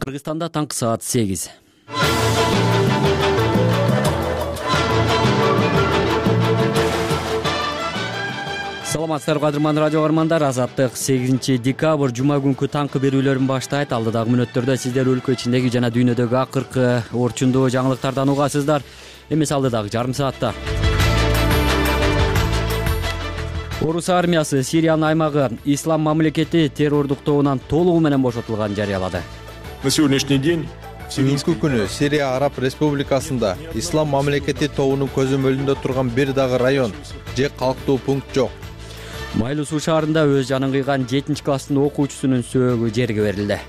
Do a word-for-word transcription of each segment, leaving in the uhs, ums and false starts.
Кыргызстанда таңкы саат сегиз. Саламатсыздарбы кадырман радио каармандар. Азаттык сегизинчи декабрь жума күнкү таңкы берүүлөрүн баштайт. Алдыдагы мүнөттөрдө сиздер өлкө ичиндеги жана дүйнөдөгү акыркы орчундуу жаңылыктардан угасыздар. Эмес алдыдагы жарым саатта. Орус армиясы Сириянын аймагы Ислам мамлекети террордук тобунан толугу менен бошотулганын жарыялады. На сегодняшний день Бүгүнкү күнү Сирия Араб Республикасында Ислам мамлекети тобунун көзөмөлүндө турган бир дагы район же калктуу пункт жок. Майлуу суу шаарында өз жанын кыйган жетинчи класстын окуучусунун сөөгү жерге берилди.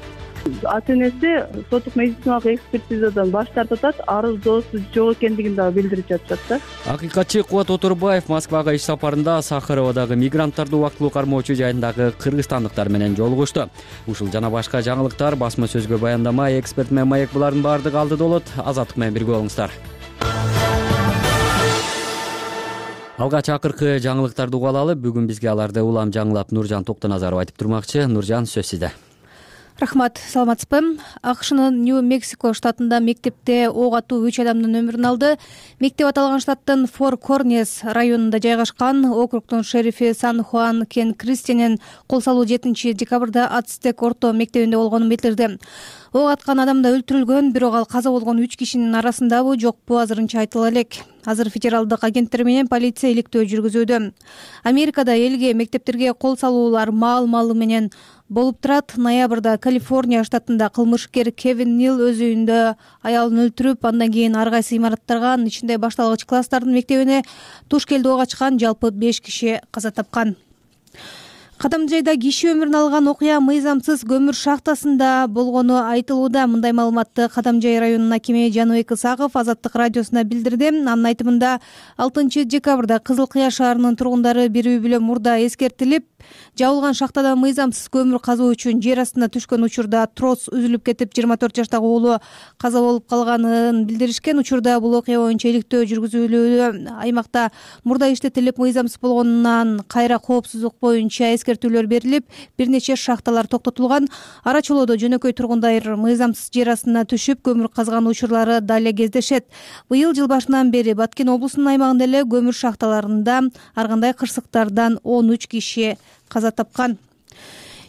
Ата-энеси соттук медициналык экспертизадан баш тартып атат, арыздоосу жок экендигин дагы билдирип жатышат да. Акыйкатчы Кубат Оторбаев Москвага иш сапарында Сахароводагы мигранттарды убактылуу кармоочу жайындагы кыргызстандыктар менен жолугушту. Ушул жана башка жаңылыктар басма сөзгө баяндама, эксперт менен маек булардын баардыгы алдыда болот. Азаттык менен бирге болуңуздар. Алгач акыркы жаңылыктарды угуп алалы. Бүгүн бизге аларды улам жаңылап Нуржан Токтоназаров айтып турмакчы. Нуржан, сөз сизде. Рахмат, саламатсызбы? АКШнын Нью-Мексико штатында мектепте ок атуу үч адамдын өмүрүн алды. Мектеп аталган штаттын Фор Корнес районунда жайгашкан. Округдун шерифи Сан-Хуан Кен Кристианен кол салуу жетинчи декабрда Ацтек орто мектебинде болгонун билдирди. Ок аткан адам да өлтүрүлгөн, бирок ал каза болгон үч кишинин арасындабы, жокпу азырынча айтыла элек. Азыр федералдык агенттер менен полиция иликтөө жүргүзүүдө. Америкада элге мектептерге кол салуулар маал-маалы менен болуп турат. Ноябрда Калифорния штатында кылмышкер Кевин Нил өз үйүндө аялын өлтүрүп, андан кийин ар кайсы имараттарга, анын ичинде башталгыч класстардын мектебине туш келди ок ачкан. Жалпы беш киши каза тапкан. Кадамжайда киши өмүрүн алган окуя мыйзамсыз көмүр шахтасында болгону айтылууда. Мындай маалыматты Кадамжай районунун акими Жаныбек Исаков Азаттык радиосуна билдирди. Анын айтымында алтынчы декабрда Кызыл Кыя шаарынын тургундары бир үй бүлө мурда эскертилип, жабылган шахтадан мыйзамсыз көмүр казуу үчүн жер астына түшкөн учурда трос үзүлүп кетип, жыйырма төрт жаштагы уулу каза болуп калганын билдиришкен. Учурда бул окуя боюнча иликтөө жүргүзүлүүдө. Аймакта мурда иштетилип, мыйзамсыз болгонунан кайра коопсуздук боюнча эскертүүлөр берилип, бир нече шахталар токтотулган. Ара чолоодо жөнөкөй тургундар мыйзамсыз жер астына түшүп көмүр казган учурлары дале кездешет. Быйыл жыл башынан бери Баткен облусунун аймагында эле көмүр шахталарында ар кандай кырсыктардан он үч киши каза тапкан.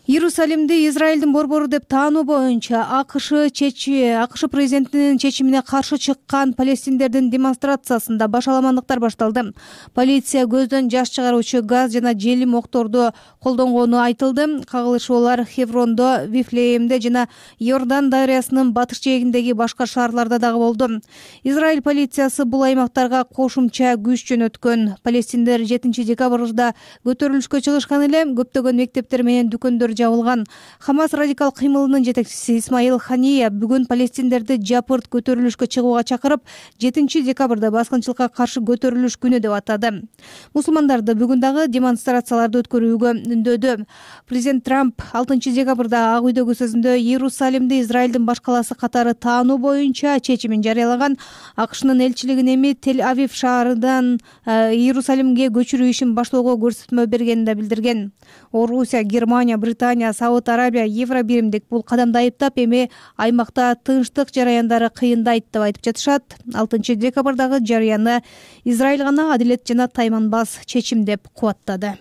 Иерусалимди Израилдин борбору деп таануу боюнча АКШ чечи АКШ президентинин чечимине каршы чыккан палестиндердин демонстрациясында башаламандыктар башталды. Полиция көздөн жаш чыгаруучу газ жана желим окторду колдонгону айтылды. Кагылышуулар Хеврондо, Вифлеемде жана Иордан дарыясынын батыш жээгиндеги башка шаарларда дагы болду. Израиль полициясы бул аймактарга кошумча күч жөнөткөн. Палестиндер жетинчи декабрда көтөрүлүшкө чыгышкан эле. Көптөгөн мектептер менен дүкөндөр жабылган. Хамас радикал кыймылынын жетекчиси Исмаил Хания бүгүн палестиндерди жапырт көтөрүлүшкө чыгууга чакырып, жетинчи декабрда баскынчылыкка каршы көтөрүлүш күнү деп атады. Мусулмандарды бүгүн дагы демонстрацияларды өткөрүүгө үндөдү. Президент Трамп алтынчы декабрда Ак үйдөгү сөзүндө Иерусалимди Израилдин баш калаасы катары таануу боюнча чечимин жарыялаган. АКШнын элчилигин эми Тель-Авив шаарынан Иерусалимге көчүрүү ишин баштоого көрсөтмө бергенин да билдирген. Орусия, Германия, Британия, Сауд Арабия, Евробиримдик бул кадамды айыптап, эми аймакта тынчтык жараяндары кыйындайт деп айтып жатышат. алтынчы декабрдагы жарыяны Израиль гана адилет жана тайманбас чечим деп кубаттады.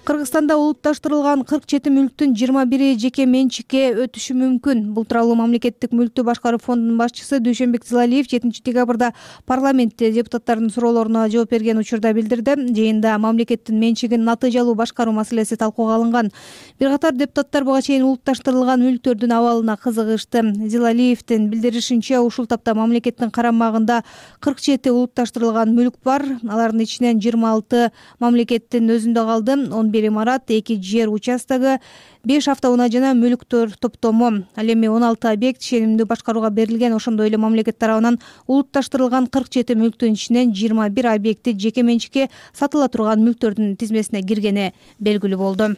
Кыргызстанда улутташтырылган кырк жети мүлктүн жыйырма бири жеке менчикке өтүшү мүмкүн. Бул тууралуу мамлекеттик мүлктү башкаруу фондунун башчысы Дүйшөнбек Зилалиев жетинчи декабрда парламентте депутаттардын суроолоруна жооп берген учурда билдирди. Жыйында мамлекеттин менчигин натыйжалуу башкаруу маселеси талкууга алынган. Бир катар депутаттар буга чейин улутташтырылган мүлктөрдүн абалына кызыгышты. Зилалиевдин билдиришинче, ушул тапта мамлекеттин карамагында кырк жети улутташтырылган мүлк бар. Алардын ичинен жыйырма алты мамлекеттин өзүндө калды. он бир имарат, эки жер участогу, беш автоунаа жана мүлктөр топтому. Ал эми он алты объект ченимдүү башкарууга берилген. Ошондой эле мамлекет тарабынан улутташтырылган кырк жети мүлктүн ичинен жыйырма бир объекти жеке менчикке сатыла турган мүлктөрдүн тизмесине киргени белгилүү болду.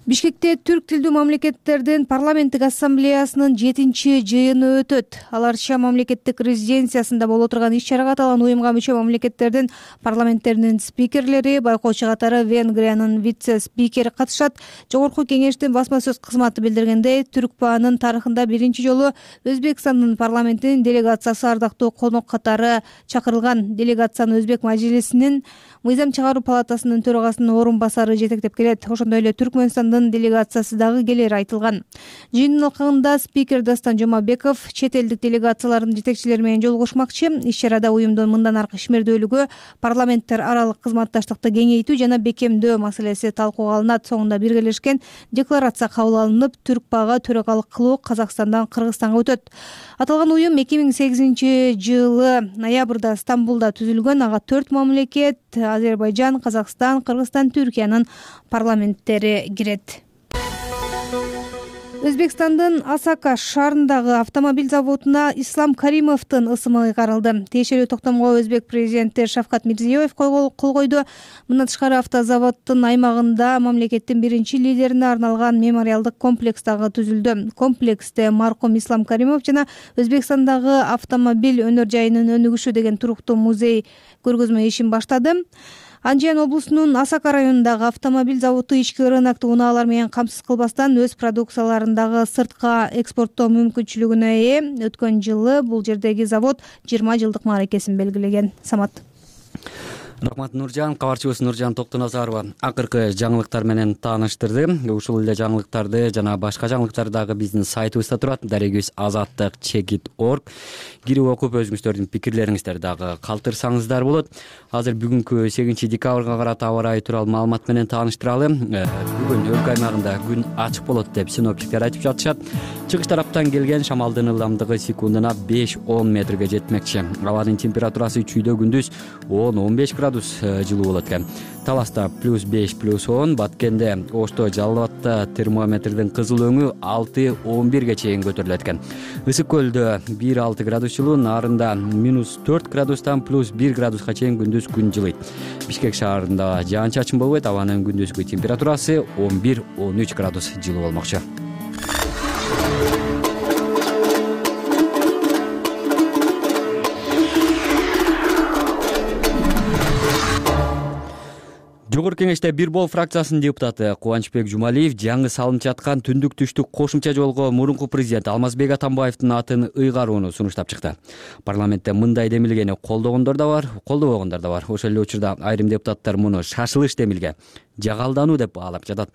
Бишкекте түрк тилдүү мамлекеттердин парламенттик ассамблеясынын жетинчи жыйыны өтөт. Ал Арча мамлекеттик резиденциясында боло турган иш-чарага аталган уюмга мүчө мамлекеттердин парламенттеринин спикерлери, байкоочу катары Венгриянын вице-спикери катышат. Жогорку кеңештин басма сөз кызматы билдиргендей, Түркпаанын тарыхында биринчи жолу Өзбекстандын парламентинин делегациясы ардактуу конок катары чакырылган. Делегацияны Өзбек мажлисинин мыйзам чыгаруу палатасынын төрагасынын орун басары жетектеп келет. Ошондой эле Түркмөнстандын делегациясы дагы келери айтылган. Жыйындын алкагында спикер Дастан Жомабеков чет элдик делегациялардын жетекчилери менен жолугушмакчы. Иш-чарада уюмдун мындан аркы ишмердүүлүгү, парламенттер аралык кызматташтыкты кеңейтүү жана бекемдөө маселеси талкууга алынат. Соңунда биргелешкен декларация кабыл алынып, Түркпага төрагалык кылуу Казакстандан Кыргызстанга өтөт. Аталган уюм эки миң сегизинчи жылы ноябрда Стамбулда түзүлгөн. Ага төрт мамлекет — Азербайжан, Казакстан, Кыргызстан, Түркиянын парламенттери кирет. Өзбекстандын Асака шаарындагы автомобиль заводуна Ислам Каримовдун ысымы ыйгарылды. Тиешелүү токтомго Өзбек президенти Шавкат Мирзиёев кол койду. Мындан тышкары автозаводдун аймагында мамлекеттин биринчи лидерине арналган мемориалдык комплекс дагы түзүлдү. Комплексте маркум Ислам Каримов жана Өзбекстандагы автомобиль өнөр жайынын өнүгүшү деген туруктуу музей көргөзмө ишин баштады. Анжиян облусунун Асака районундагы автомобиль заводу ички рынокто унаалар менен камсыз кылбастан өз продукцияларын дагы сыртка экспорттоо мүмкүнчүлүгүнө ээ. Өткөн жылы бул жердеги завод жыйырма жылдык мааракесин белгилеген. Самат. Рахмат Нуржан. Кабарчыбыз Нуржан Токтоназарова акыркы жаңылыктар менен тааныштырды. Ушул эле жаңылыктарды жана башка жаңылыктар дагы биздин сайтыбызда турат. Дарегибиз азаттык чекит точка орг. Кирип окуп өзүңүздөрдүн пикирлериңиздерди дагы калтырсаңыздар болот. Азыр бүгүнкү сегизинчи декабрга карата аба ырайы тууралуу маалымат менен тааныштыралы. Бүгүн өлкө аймагында күн ачык болот деп синоптиктер айтып жатышат. Чыгыш тараптан келген шамалдын ылдамдыгы секундуна беш он метрге жетмекчи. Абанын температурасы чүйдө күндүз он он беш градус жылуу болот экен. Таласта плюс беш плюс он, Баткенде, Ошто, Жалал Абадта термометрдин кызыл өңү алты он бирге чейин көтөрүлөт экен. Ысык көлдө бир алты градус жылуу, Нарында минус төрт градустан плюс бир градуска чейин күндүз күн жылыйт. Бишкек шаарында жаан чачын болбойт, абанын күндүзгү температурасы он бир он үч градус жылуу болмокчу. Жогорку кеңеште Бир Бол фракциясынын депутаты Кубанычбек Жумалиев жаңы салынып жаткан түндүк түштүк кошумча жолго мурунку президент Алмазбек Атамбаевдин атын ыйгарууну сунуштап чыкты. Парламентте мындай демилгени колдогондор да бар, колдобогондор да бар. Ошол эле учурда айрым депутаттар муну шашылыш демилге, жагалдануу деп баалап жатат.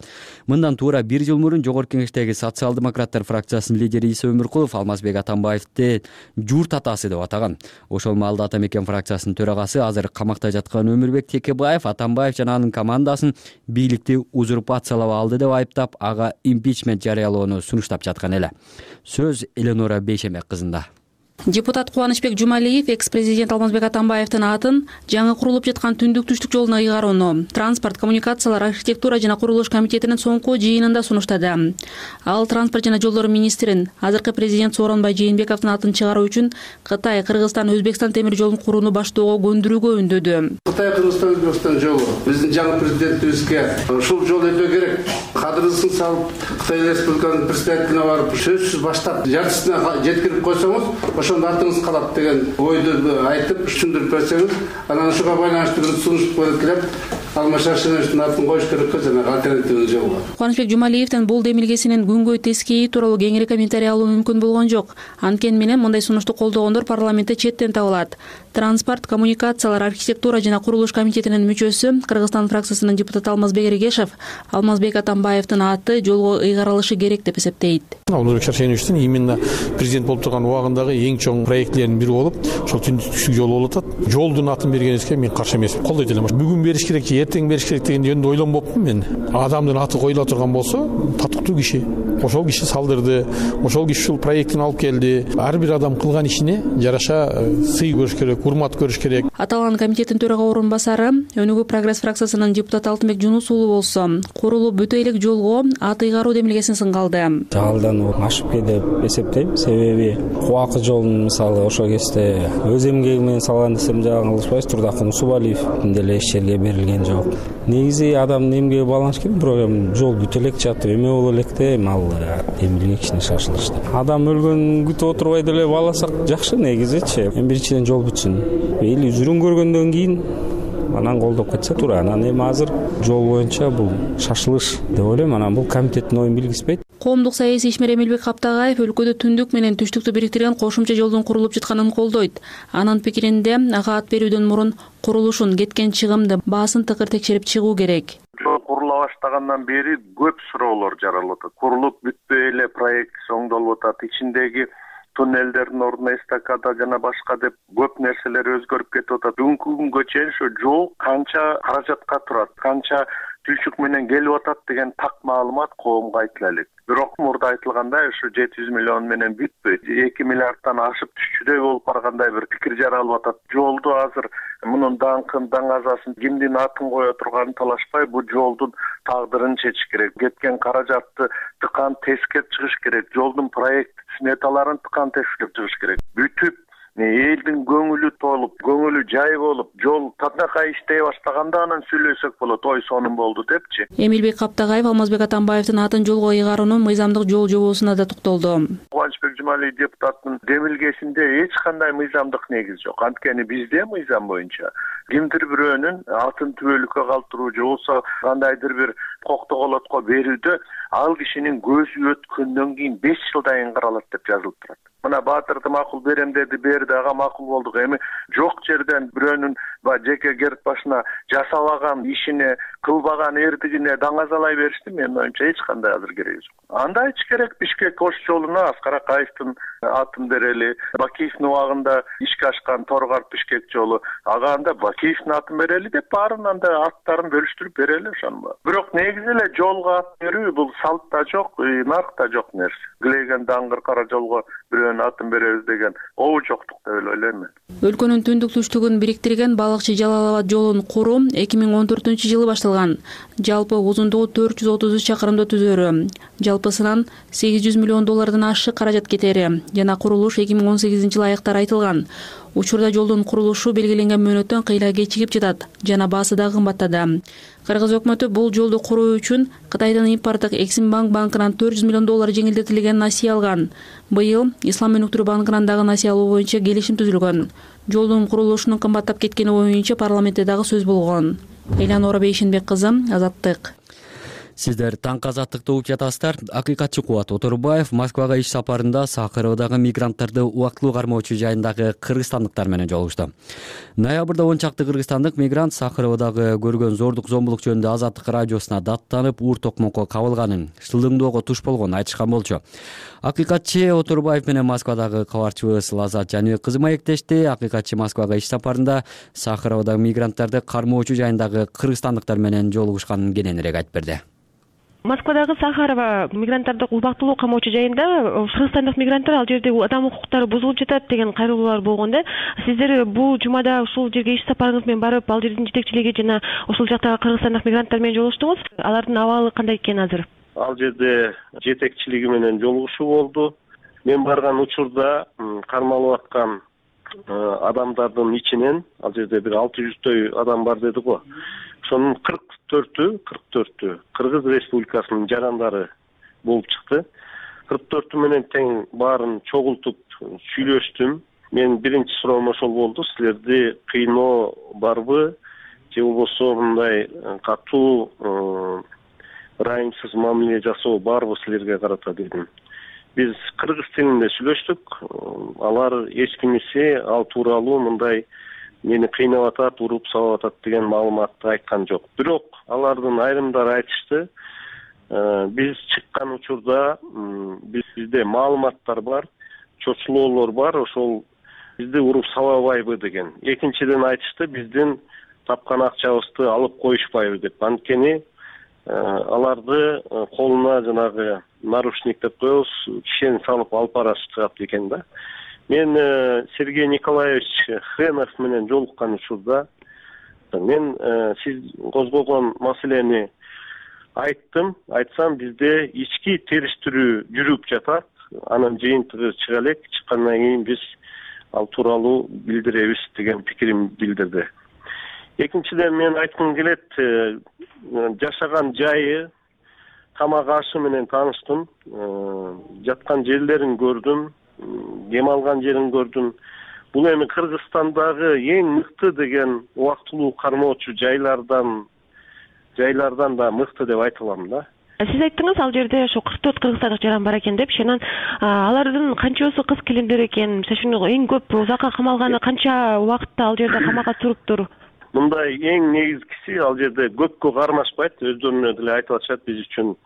Мындан туура бир жыл мурун жогорку кеңештеги социал-демократтар фракциясынын лидери Иса Өмүркулов Алмазбек Атамбаевди журт атасы деп атаган. Ошол маалда Ата Мекен фракциясынын төрагасы азыр камакта жаткан Өмүрбек Текебаев Атамбаев жана анын командасын бийликти узурпациялап алды деп айыптап, ага импичмент жарыялоону сунуштап жаткан эле. Сөз Эленора Бейшемек кызында. Депутат Кубанычбек Жумалиев экс-президент Алмазбек Атамбаевдин атын жаңы курулуп жаткан түндүк түштүк жолуна ыйгарууну Транспорт, коммуникациялар, архитектура жана курулуш комитетинин соңку жыйынында сунуштады. Ал транспорт жана жолдор министрин, азыркы президент Сооронбай Жээнбековдун атын чыгаруу үчүн Кытай, Кыргызстан, Өзбекстан темир жолун курууну баштоого көндүрүүгө үндөдү. Кытай, Кыргызстан, Өзбекстан жолу биздин жаңы президентибизге ушул жол өтө керек. Кадырысын салып, Кытай Республиканын президентине барып, сөзсүз баштап, жартысына жеткирип койсоңуз, ошондо артыңыз калат деген ойду айтып, түшүндүрүп берсеңиз, анан ушуга байланыштуу бир сунуш коюп келип, Алмашашиновдун атын коюш керек жана альтернативный жол бар. Кубанычбек Жумалиевдин бул демилгесинин күнгөй тескейи тууралуу кеңири комментарий алуу мүмкүн болгон жок. Анткени менен мындай сунушту колдогондор парламентте четтен табылат. Транспорт, коммуникациялар, архитектура жана курулуш комитетинин мүчөсү, Кыргызстан фракциясынын депутаты Алмазбек Эргешев Алмазбек Атамбаевдин аты жолго ыйгарылышы керек деп эсептейт. Алмазбек Шаршеновичтин именно президент болуп турган убагындагы эң чоң проектлердин бири болуп, ошол түндүк түштүк жол болуп атат. Жолдун атын бергенибизге мен каршы эмесмин, колдойт элем. Бүгүн бериш керек же эртең бериш керек деген жөнүндө ойлонбоптун мен. Адамдын аты коюла турган болсо, татыктуу киши, ошол киши салдырды, ошол киши ушул проекттин алып келди. Ар бир адам кылган ишине жараша сый көрүш керек, урмат көрүш керек. Аталган комитеттин төрага орун басары Өнүгүү Прогресс фракциясынын депутаты Алтынбек Жунус уулу болсо, курулуп бүтө элек жолго ат ыйгаруу демилгесин сыңгалды. Жагалдануу ашыппы деп эсептейм. Себеби Кубакы жолун мисалы ошол кезде өз эмгеги менен салган десем жаңылышпайбыз, Турдакын Усубалиев деле иш жерге берилген жок. негизи адам эмгеге байланыш керек, бирок эми жол бүтө элек жатып эме боло электе эми ал эми эле кичине шашылыш. Адам өлгөнүн күтүп отурбай деле бааласак жакшы негизичи. Эми биринчиден жол бүтсүн. Эли жүрүн көргөндөн кийин анан колдоп кетсе туура. Анан эми азыр жол боюнча бул шашылыш деп ойлойм. Анан бул комитеттин оюн билгизбейт. Коомдук саясий ишмер Эмилбек Каптагаев өлкөдө түндүк менен түштүктү бириктирген кошумча жолдун курулуп жатканын колдойт. Анын пикиринде ага ат берүүдөн мурун курулушун, кеткен чыгымды баасын тыкыр текшерип чыгуу керек. Жол курула баштагандан бери көп суроолор жаралып атат. Курулуп бүтпөй эле проект оңдолуп атат. Ичиндеги туннелдердин ордуна эстакада жана башка деп көп нерселер өзгөрүп кетип атат. Бүгүнкү күнгө чейин ошо жол канча каражатка турат, канча түшүк менен келип атат деген так маалымат коомго айтыла элек. Бирок мурда айтылгандай ошо жети жүз миллион менен бүтпөйт. эки миллиардтан ашып түшчүдөй болуп баргандай бир пикир жаралып атат. Жолду азыр мунун даңкын, даңазасын, кимдин атын кое турганын талашпай, бул жолдун тагдырын чечиш керек. Кеткен каражатты тыкан тескеп чыгыш керек. Жолдун проект сметаларын тыкан тескеп чыгыш керек. Бүтүп элдин көңүлү толуп, көңүлү жай болуп, жол татынакай иштей баштаганда анан сүйлөсөк болот, ой сонун болду депчи. Эмилбек Каптагаев Алмазбек Атамбаевдин атын жолго ыйгаруунун мыйзамдык жол жобосуна да токтолду. Кубанычбек Жумалиев депутаттын демилгесинде эч кандай мыйзамдык негиз жок. Анткени бизде мыйзам боюнча кимдир бирөөнүн атын түбөлүккө калтыруу же болбосо кандайдыр бир коктоголотко берүүдө ал кишинин көзү өткөндөн кийин беш жылдан кийин каралат деп жазылып турат. Мына Баатырды макул берем деди, берди, ага макул болдук. Эми жок жерден бирөөнүн жеке керт башына жасабаган ишине, кылбаган эрдигине даңазалай беришти менин оюмча эч кандай азыр кереги жок. Анда эч керек Бишкек Ош жолуна Аскар Акаевдин атын берели, Бакиевдин убагында ишке ашкан Торгарт Бишкек жолу, ага анда Бакиевдин атын берели деп баарынан да аттарын бөлүштүрүп берели ошону. Бирок негизи эле жолго ат берүү бул салтта жок, наркта жок нерсе. Глеген даңгыр кара жолго бирөөнүн атын беребиз деген обу жоктук деп ойлойм мен. Өлкөнүн түндүк түштүгүн бириктирген Балыкчы Жалал Абад жолун куруу эки миң он төртүнчү жылы башталган. Жалпы узундугу төрт жүз отуз үч чакырымды түзөрү. Жалпысынан сегиз жүз миллион доллардан ашык каражат кетери жана курулуш эки миң он сегизинчи жылы аяктар айтылган. Учурда жолдун курулушу белгиленген мөөнөттөн кыйла кечигип жатат жана баасы да кымбаттады. Кыргыз өкмөтү бул жолду куруу үчүн Кытайдын импорттук Эксимбанк банкынан төрт жүз миллион доллар жеңилдетилген насыя алган. Быйыл Ислам өнүктүрүү банкынан дагы насыя алуу боюнча келишим түзүлгөн. Жолдун курулушунун кымбаттап кеткени боюнча парламентте дагы сөз болгон. Элянора Бейшенбек кызы, Азаттык. Сиздер таңкы азаттыкты угуп жатасыздар. Акыйкатчы Кубат Отурбаев Москвага иш сапарында Сахаровдагы мигранттарды убактылуу кармоочу жайындагы кыргызстандыктар менен жолугушту. Ноябрда он чакты кыргызстандык мигрант Сахаровдагы көргөн зордук зомбулук жөнүндө Азаттык радиосуна даттанып, уур токмокко кабылганын, шылдыңдоого туш болгонун айтышкан болчу. Акыйкатчы Отурбаев менен Москвадагы кабарчыбыз Лазат Жаныбек кызы маектешти. Акыйкатчы Москвага иш сапарында Сахаровдагы мигранттарды кармоочу жайындагы кыргызстандыктар менен жолугушканын кененирээк айтып берди. Москвадагы Сахарова мигранттарды убактылуу камоочу жайында кыргызстандык мигранттар ал жерде адам укуктары бузулуп жатат деген кайрылуулар болгон да. Сиздер бул жумада ушул жерге иш сапарыңыз менен барып, ал жердин жетекчилиги жана ушул жактагы кыргызстандык мигранттар менен жолугуштуңуз. Алардын абалы кандай экен азыр? Ал жерде жетекчилиги менен жолугушуу болду. Мен барган учурда кармалып аткан адамдардын ичинен ал жерде бир алты жүздөй адам бар деди го. Ошонун кырк төртү, кырк төртү Кыргыз Республикасынын жарандары болуп чыкты. кырк төртү менен тең баарын чогултуп сүйлөштүм. Мен биринчи суроом ошол болду. Силерди кыйноо барбы? Же болбосо мындай катуу ырайымсыз мамиле жасоо барбы силерге карата дедим. Биз кыргыз тилинде сүйлөштүк. Алар эч кимиси ал тууралуу мындай мени кыйнап атат, уруп сабап атат деген маалыматты айткан жок. Бирок алардын айрымдары айтышты. Биз чыккан учурда бизде маалыматтар бар, чочулоолор бар, ошол бизди уруп сабабайбы деген. Экинчиден айтышты, биздин тапкан акчабызды алып коюшпайбы деп. Анткени аларды колуна жанагы наручник деп коебуз, кишени салып алып барышат экен да. Мен Сергей Николаевич Хренов менен жолуккан учурда мен сиз козгогон маселени айттым. Айтсам бизде ички териштирүү жүрүп жатат. Анын жыйынтыгы чыга элек. Чыккандан кийин биз ал тууралуу билдиребиз деген пикирин билдирди. Экинчиден мен айткым келет, жашаган жайы, тамак ашы менен тааныштым, жаткан жерлерин көрдүм, дем алган жерин көрдүм. Бул эми Кыргызстандагы эң мыкты деген убактылуу кармоочу жайлардан жайлардан да мыкты деп айта алам да. Сиз айттыңыз, ал жерде ошо кырк төрт кыргызстандык жаран бар экен деп. Шенан алардын канчасы кыз келиндер экен? Мисалы үчүн эң көп узакка камалганы канча убакытта ал жерде камакка туруптур? Мындай эң негизгиси ал жерде көпкө кармашпайт, өздөрүнө деле айтып атышат, биз үчүн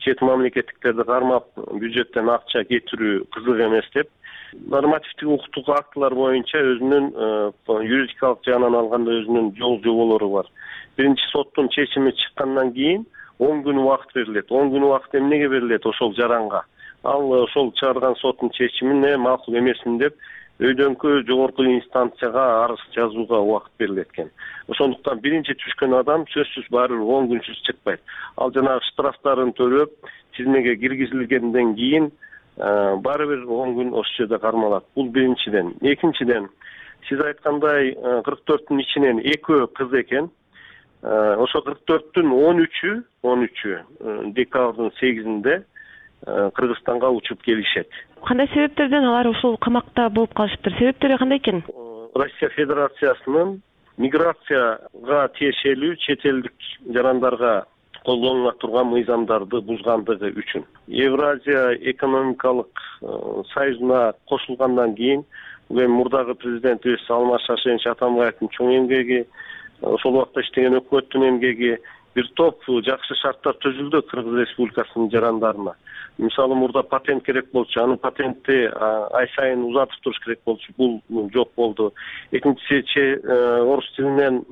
чет мамлекеттиктерди кармап бюджеттен акча кетирүү кызык эмес деп. Нормативдик укуктук актылар боюнча өзүнүн юридикалык жагынан алганда өзүнүн жол жоболору бар. Биринчи соттун чечими чыккандан кийин он күн убакыт берилет. он күн убакыт эмнеге берилет ошол жаранга? Ал ошол чыгарган соттун чечимине макул эмесмин деп өйдөнкө жогорку инстанцияга арыз жазууга убакыт берилет экен. Ошондуктан биринчи түшкөн адам сөзсүз баары бир он күнсүз чыкпайт. Ал жанагы штрафтарын төлөп, тизмеге киргизилгенден кийин баары бир он күн ошол жерде кармалат. Бул биринчиден. Экинчиден, сиз айткандай кырк төрттүн ичинен экөө кыз экен. Ошо кырк төрттүн он үчү, он үчү декабрдын сегизинде Кыргызстанга учуп келишет. Кандай себептерден алар ушул камакта болуп калышыптыр? Себептери кандай экен? Россия Федерациясынын миграцияга тиешелүү чет элдик жарандарга колдонула турган мыйзамдарды бузгандыгы үчүн. Евразия экономикалык союзуна кошулгандан кийин, бул эми мурдагы президентибиз Алмаз Шаршенович Атамбаевдин чоң эмгеги, ошол убакта иштеген өкмөттүн эмгеги, бир топ жакшы шарттар түзүлдү Кыргыз Республикасынын жарандарына. Мисалы мурда патент керек болчу, аны патентти ай сайын узатып туруш керек болчу, бул жок болду. Экинчиси орус тилинен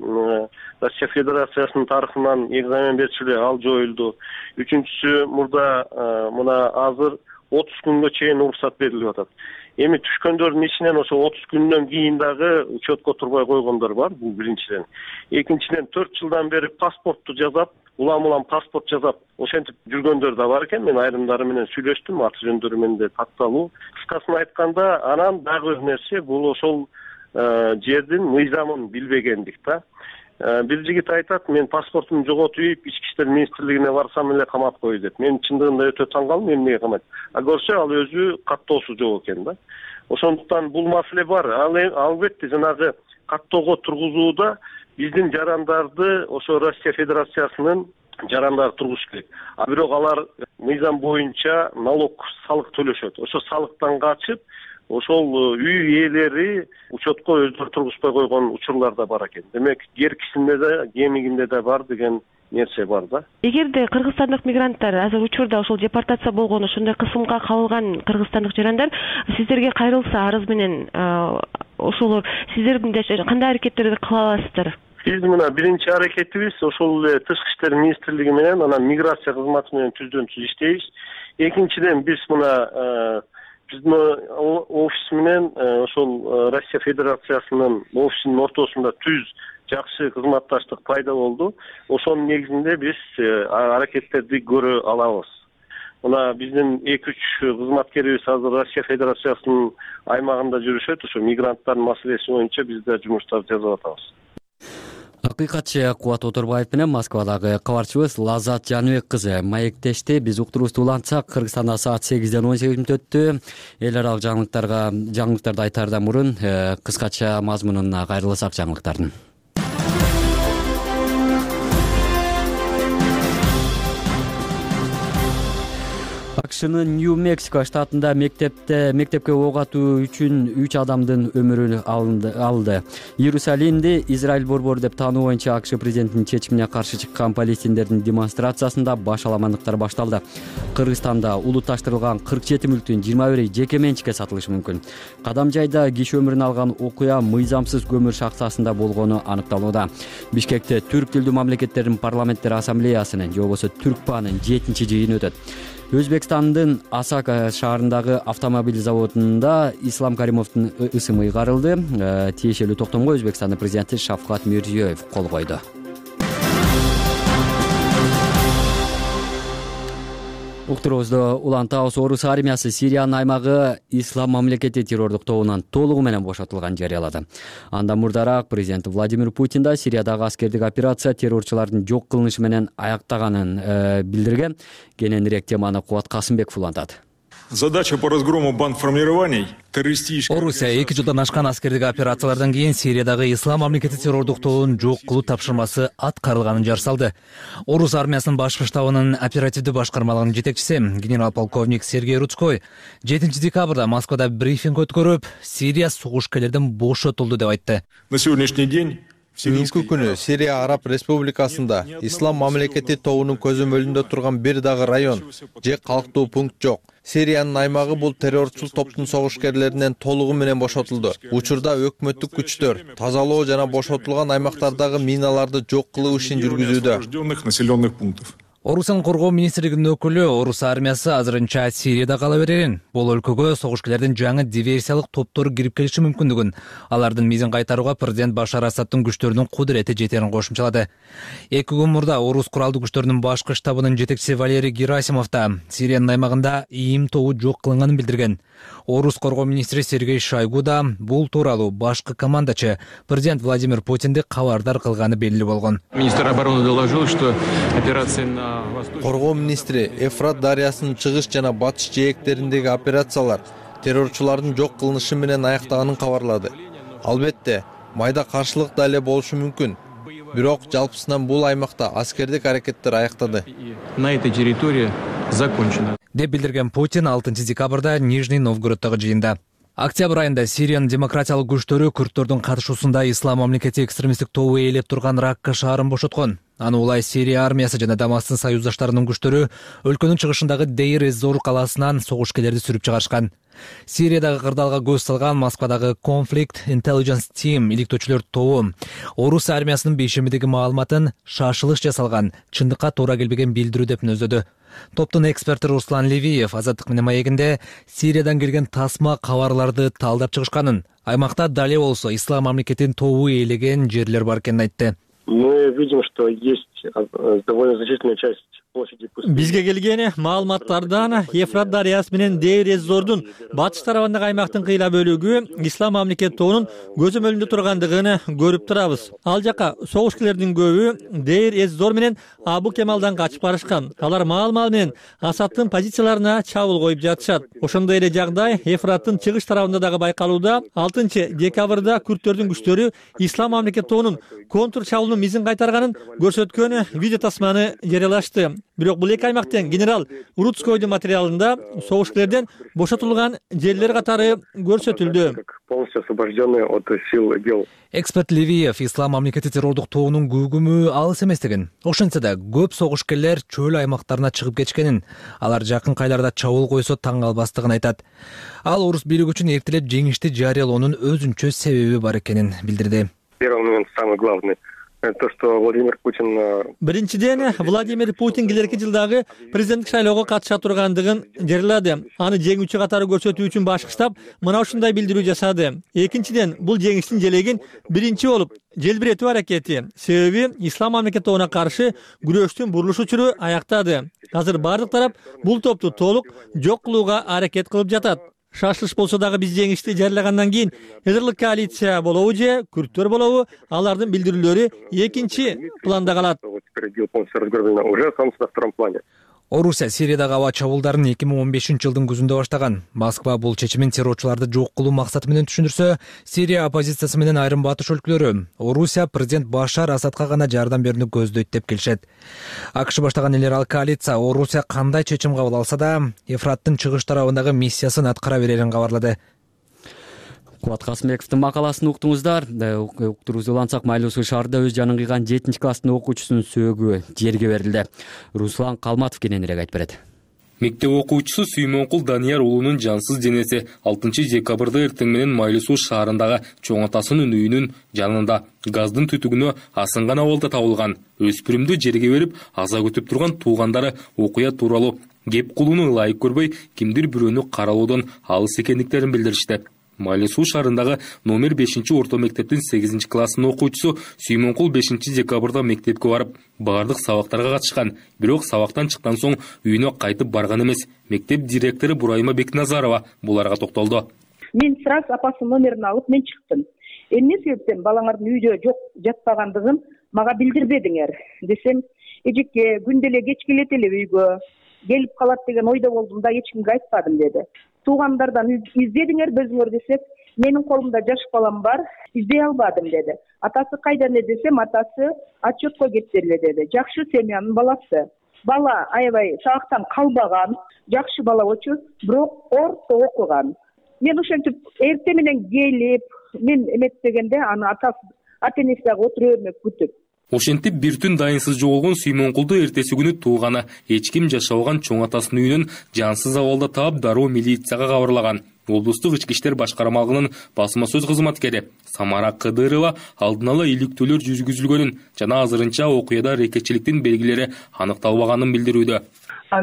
Россия Федерациясынын тарыхынан экзамен берчү, ал жоюлду. Үчүнчүсү мурда мына азыр отуз күнгө чейин уруксат берилип атат. Эми түшкөндөрдүн ичинен ошо отуз күндөн кийин дагы учетко турбай койгондор бар, бул биринчиден. Экинчиден төрт жылдан бери паспортту жасап, улам-улам паспорт жасап, ошентип жүргөндөр да бар экен. Мен айрымдары менен сүйлөштүм, аты жөндөрү менен да такталуу. Кыскасын айтканда, анан дагы бир нерсе, бул ошол жердин мыйзамын билбегендик да. Бир жигит айтат, мен паспортумду жоготуп ийип, ички иштер министрлигине барсам эле камап кой деп. Мен чындыгында өтө таң калдым, эмнеге камайт. А көрсө ал өзү каттоосу жок экен да. Ошондуктан бул маселе бар. Ал албетте жанагы каттоого тургузууда биздин жарандарды ошо Россия Федерациясынын жарандары тургуш керек. А бирок алар мыйзам боюнча налог, салык төлөшөт. Ошо салыктан качып, ошол үй ээлери учетко өздөрү тургузбай койгон учурлар да бар экен. Демек, керкисинде да, кемигинде да бар деген нерсе бар да. Эгерде кыргызстандык мигранттар азыр учурда ошол депортация болгон, ошондой кысымга кабылган кыргызстандык жарандар сиздерге кайрылса арыз менен, ошолор сиздердин кандай аракеттерди кыла аласыздар? Биз мына биринчи аракетибиз ошол эле Тышкы иштер министрлиги менен, анан миграция кызматы менен түздөн түз иштейбиз. Экинчиден биз мына биздин офис менен ошол Россия Федерациясынын офисинин ортосунда түз жакшы кызматташтык пайда болду. Ошонун негизинде биз аракеттерди көрө алабыз. Мына биздин эки үч кызматкерибиз азыр Россия Федерациясынын аймагында жүрүшөт. Ошо мигранттардын маселеси боюнча биз да жумуштар жасап атабыз. Акыйкатчы Кубат Оторбаев менен Москвадагы кабарчыбыз Лазат Жаныбек кызы маектешти. Биз уктуруубузду улантсак, Кыргызстанда саат сегизден он сегиз мүнөт өттү. Эл аралык жаңылыктарга жаңылыктарды айтаардан мурун кыскача мазмунуна кайрылсак жаңылыктардын. акшнын Нью-Мексико штатында мектепте мектепке ок атуу үчүн үч адамдын өмүрү алынды. Иерусалимди Израиль борбору деп таануу боюнча АКШ президентинин чечимине каршы чыккан палестиндердин демонстрациясында башаламандыктар башталды. Кыргызстанда улутташтырылган кырк жети мүлктүн жыйырма бири жеке менчикке сатылышы мүмкүн. Кадам жайда киши өмүрүн алган окуя мыйзамсыз көмүр шахтасында болгону аныкталууда. Бишкекте түрк тилдүү мамлекеттердин парламенттер ассамблеясынын же болбосо Түркпанын жетинчи жыйыны өтөт. Өзбекстандын Асака шаарындагы автомобиль заводунда Ислам Каримовдун ысымы ыйгарылды. Тиешелүү токтомго Өзбекстандын президенти Шавкат Мирзиёев кол койду. Уктуруубузду улантабыз. Орус армиясы Сириянын аймагы Ислам мамлекети террордук тобунан толугу менен бошотулганын жарыялады. Андан мурдараак президент Владимир Путин да Сириядагы аскердик операция террорчулардын жок кылынышы менен аяктаганын э, билдирген. Кененирээк теманы Кубат Касымбеков улантат. Задача по разгрому бандформирований террористических... Орусия эки жылдан ашкан аскердик операциялардан кийин Сириядагы Ислам мамлекети террордук тобун жок кылуу тапшырмасы аткарылганын жар салды. Орус армиясынын башкы штабынын оперативдүү башкармалыгынын жетекчиси генерал-полковник Сергей Рудской жетинчи декабрда Москвада брифинг өткөрүп, Сирия согушкерлерден бошотулду деп айтты. На сегодняшний день Бүгүнкү күнү Сирия Араб Республикасында Ислам мамлекети тобунун көзөмөлүндө турган бир дагы район же калктуу пункт жок. Сириянын аймагы бул террорчул топтун согушкерлеринен толугу менен бошотулду. Учурда өкмөттүк күчтөр тазалоо жана бошотулган аймактардагы миналарды жок кылуу ишин жүргүзүүдө. Орусиянын коргоо министрлигинин өкүлү Орус армиясы азырынча Сирияда кала берерин, бул өлкөгө согушкерлердин жаңы диверсиялык топтору кирип келиши мүмкүндүгүн, алардын мизин кайтарууга президент Башар Асадтын күчтөрүнүн кудурети жетерин кошумчалады. Эки күн мурда Орус куралдуу күчтөрүнүн башкы штабынын жетекчиси Валерий Герасимов да Сириянын аймагында ИИМ тобу жок кылынганын билдирген. Орус коргоо министри Сергей Шойгу да бул тууралуу башкы командачы президент Владимир Путинди кабардар кылганы белгилүү болгон. Министр обороны доложил, что операция на Коргоо министри Эфрат дарыясынын чыгыш жана батыш жээктериндеги операциялар террорчулардын жок кылынышы менен аяктаганын кабарлады. Албетте, майда каршылык да эле болушу мүмкүн. Бирок жалпысынан бул аймакта аскердик аракеттер аяктады. На этой территории закончено. Деп билдирген Путин алтынчы декабрда Нижний Новгороддогу жыйында. Октябрь айында Сириянын демократиялык күчтөрү курддордун катышуусунда Ислам мамлекети экстремисттик тобу ээлеп турган Ракка шаарын бошоткон. Аны улай Сирия армиясы жана Дамастын союздаштарынын күчтөрү өлкөнүн чыгышындагы Дейр эз-Зор калаасынан согушкерлерди сүрүп чыгарышкан. Сириядагы кырдаалга көз салган Москвадагы Conflict Intelligence Team иликтөөчүлөр тобу Орус армиясынын бейшембидеги маалыматын шашылыш жасалган, чындыкка туура келбеген билдирүү деп мүнөздөдү. Топтун эксперти Руслан Левиев Азаттык менен маегинде Сириядан келген тасма кабарларды талдап чыгышканын, аймакта дале болсо Ислам мамлекетинин тобу ээлеген жерлер бар экенин айтты. Мы видим, что есть довольно значительная часть площади. Бизге келген маалыматтардан Ефрат дарыясы менен Дейр эз-Зордун батыш тарабындагы аймактын кыйла бөлүгү Ислам мамлекети тобунун көзөмөлүндө тургандыгын көрүп турабыз. Ал жака согушкерлердин көбү Дейр эз-Зор менен Абу Кемалдан качып барышкан. Алар маал-маал менен Асадтын позицияларына чабуул коюп жатышат. Ошондой эле жагдай Ефраттын чыгыш тарабында дагы байкалууда. алтынчы декабрда күрттөрдүн күчтөрү Ислам мамлекети тобунун контр чабуулунун мизин кайтарганын көрсөткөн видео тасманы жарыялашты. Бирок бул эки аймактын генерал Рудскойдун материалында согушкерлерден бошотулган жерлер катары көрсөтүлдү. Полностью освобожденные от сил дел. Эксперт Левиев Ислам мамлекети террордук тобунун күгүмү алыс эместигин, ошентсе да көп согушкерлер чөл аймактарына чыгып кеткенин, алар жакын кайларда чабуул койсо таң калбастыгын айтат. Ал орус бийлиги үчүн эртелеп жеңишти жарыялоонун өзүнчө себеби бар экенин билдирди. Первый момент самый главный. То, что Владимир Путин... Биринчиден, Владимир Путин келерки жылдагы президенттик шайлоого катыша тургандыгын жарыялады. Аны жеңүүчү катары көрсөтүү үчүн башкы штаб мына ушундай билдирүү жасады. Экинчиден, бул жеңиштин желегин биринчи болуп желбиретүү аракети. Себеби Ислам мамлекети тобуна каршы күрөштүн бурулуш учуру аяктады. Азыр бардык тарап бул топту толук жок кылууга аракет кылып жатат. Шашылыш болсо дагы биз жеңишти жарыялагандан кийин эдерлик коалиция болобу же күрттөр болобу, алардын билдирүүлөрү экинчи планда калат. Орусия Сириядагы аба чабуулдарын эки миң он бешинчи жылдын күзүндө баштаган. Москва бул чечимин террорчуларды жок кылуу максаты менен түшүндүрсө, Сирия оппозициясы менен айрым батыш өлкөлөрү Орусия президент Башар Асадка гана жардам берүүнү көздөйт деп келишет. АКШ баштаган элер коалиция Орусия кандай чечим кабыл алса да, Ефраттын чыгыш тарабындагы миссиясын аткара берерин кабарлады. Кубат Касымбековдун макаласын уктуңуздар. Уктуруубузду улантсак, Майлуу шаарында өз жанын кыйган жетинчи класстын окуучусунун сөөгү жерге берилди. Руслан Калматов кененирээк айтып берет. Мектеп окуучусу Сүймөнкул Данияр уулунун жансыз денеси алтынчы декабрда эртең менен Майлуу шаарындагы чоң атасынын үйүнүн жанында газдын түтүгүнө асынган абалда табылган. Өспүрүмдү жерге берип, аза күтүп турган туугандары окуя тууралуу кеп кылууну ылайык көрбөй, кимдир бирөөнү каралоодон алыс экендиктерин билдиришти. Майлы Суу шаарындагы номер бешинчи орто мектептин сегизинчи класстын окуучусу Сүймөнкул бешинчи декабрда мектепке барып, баардык сабактарга катышкан. Бирок сабактан чыккан соң үйүнө кайтып барган эмес. Мектеп директору Бурайма Бекназарова буларга токтолду. Мен сразу апасынын номерин алып мен чыктым. Эмне себептен балаңардын үйдө жок жатпагандыгын мага билдирбедиңер десем, эжеке күндө эле кеч келет эле үйгө, келип калат деген ойдо болдум да эч кимге айтпадым деди. Туугандардан издедиңер өзүңөр десек, менин колумда жаш балам бар, издей албадым деди. Атасы кайда эле десем, атасы отчетко кетти эле деди. Жакшы семьянын баласы. Бала аябай сабактан калбаган, жакшы бала болчу, бирок орто окуган. Мен ошентип эртең менен келип, мен эметпегенде аны атасы ата-энеси дагы отура бермек күтүп. Ошентип бир түн дайынсыз жоголгон Сүймөнкулду эртеси күнү тууганы эч ким жашабаган чоң атасынын үйүнөн жансыз абалда таап, дароо милицияга кабарлаган. Облустук ички иштер башкармалыгынын басма сөз кызматкери Самара Кыдырова алдын ала иликтөөлөр жүргүзүлгөнүн жана азырынча окуяда аракетчиликтин белгилери аныкталбаганын билдирүүдө.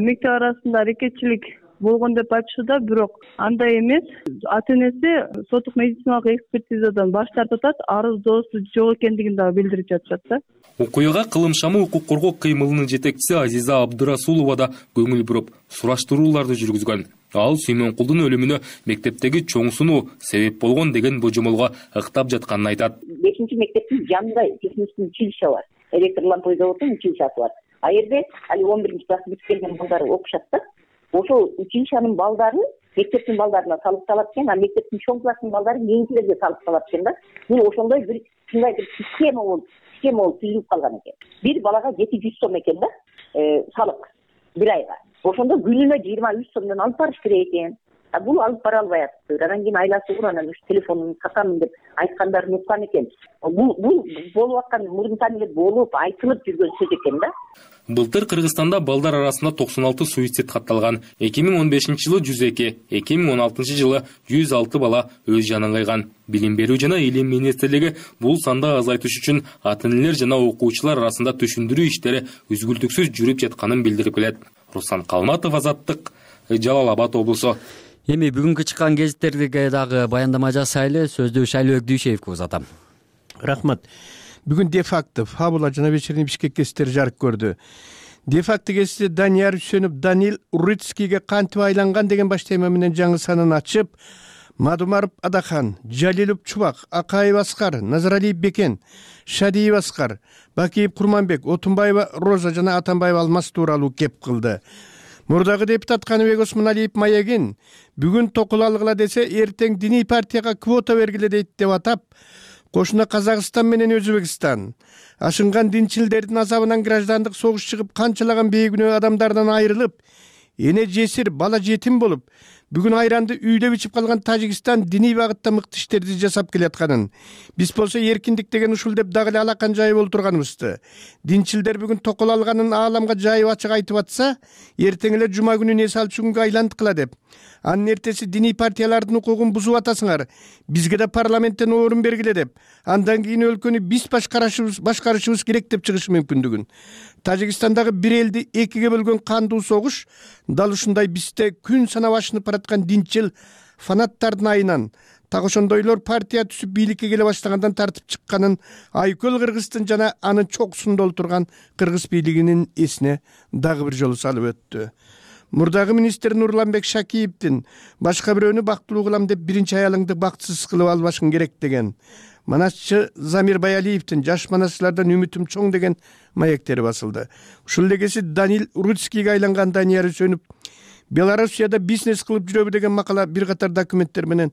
Мектеп арасында аракетчилик болгон деп айтышууда, бирок андай эмес. Ата-энеси соттук медициналык экспертизадан баш тартып атат, арыздоосу жок экендигин дагы билдирип жатышат да. Окуяга кылымшамы укук коргоо кыймылынын жетекчиси Азиза Абдырасулова да көңүл буруп, сураштырууларды жүргүзгөн. Ал Сүймөнкулдун өлүмүнө мектептеги чоң сунуу себеп болгон деген божомолго ыктап жатканын айтат. бешинчи мектептин жанында технический училище бар. Электр лампа заводунун училищеси бар. А жерде али он биринчи класс бүтүп келген балдар окушат да. Ошол училищенин балдарын мектептин балдарына салып салат экен, а мектептин чоң класстын балдарын кийинкилерге салып салат экен да. Мына ошондой бир мындай бир система болуп, система болуп түзүлүп калган экен. Бир балага жети жүз сом экен да, салык бир айга. Ошондо күнүнө жыйырма үч сомдон алып барыш керек экен. А бул алып бара албай атыптыр. Анан кийин айласы ур, анан уш телефонун сатамын деп айткандарын уккан экен. Бул бул болуп аткан мурунтан эле болуп айтылып жүргөн сөз экен да. Былтыр Кыргызстанда балдар арасында токсон алты суицид катталган. эки миң он бешинчи жылы жүз эки, эки миң он алтынчы жылы жүз алты бала өз жанын кыйган. Билим берүү жана илим министрлиги бул санды азайтыш үчүн ата-энелер жана окуучулар арасында түшүндүрүү иштери үзгүлтүксүз жүрүп жатканын билдирип келет. Руслан Калматов, Азаттык, Жалал Абад облусу. Эми бүгүнкү чыккан гезиттерге дагы баяндама жасайлы. Сөздү Шайлыбек Дүйшеевке узатам. Рахмат. Бүгүн де факто Фабула жана вечерний Бишкек гезиттери жарык көрдү. Де факто гезити Данияр Үсөнов Данил Урицкийге кантип айланган деген баш тема менен жаңы санын ачып, Мадумаров Адахан, Жалилов Чубак, Акаев Аскар, Назаралиев Бекен, Шадиев Аскар, Бакиев Курманбек, Отунбаева Роза жана Атанбаева Алмаз тууралуу кеп кылды. Мурдагы депутат Каныбек Осмоналиев маегин бүгүн токул алгыла десе, эртең диний партияга квота бергиле дейт деп атап, кошуна Казакстан менен Өзбекстан ашынган динчилдердин азабынан граждандык согуш чыгып, канчалаган бейгүнөө адамдардан айрылып, эне жесир, бала жетим болуп, бүгүн айранды үйдө ичип калган Тажикстан диний багытта мыкты иштерди жасап келатканын, биз болсо эркиндик деген ушул деп дагы эле алакан жайып олтурганыбызды. Динчилдер бүгүн токол алганын ааламга жайып ачык айтып атса, эртең эле жума күнү эс алчу күнгө айландыкла деп. Анын эртеси диний партиялардын укугун бузуп атасыңар, бизге да парламенттен орун бергиле деп, андан кийин өлкөнү биз башкарышыбыз башкарышыбыз керек деп чыгышы мүмкүндүгүн. Тажикстандагы бир элди экиге бөлгөн кандуу согуш дал ушундай бизде күн санап ашынып бараткан динчил фанаттардын айынан, так ошондойлор партия түзүп бийликке келе баштагандан тартып чыкканын Айкөл Кыргыздын жана анын чокусунда олтурган кыргыз бийлигинин эсине дагы бир жолу салып өттү. Мурдагы министр Нурланбек Шакиевдин башка бирөөнү бактылуу кылам деп биринчи аялыңды бактысыз кылып албашың керек деген, манасчы Замир Баялиевдин жаш манасчылардан үмүтүм чоң деген маектери басылды. Ушул легеси Данил Урицкийге айланган Данияр Үсөнов Белоруссияда бизнес кылып жүрөбү деген макала бир катар документтер менен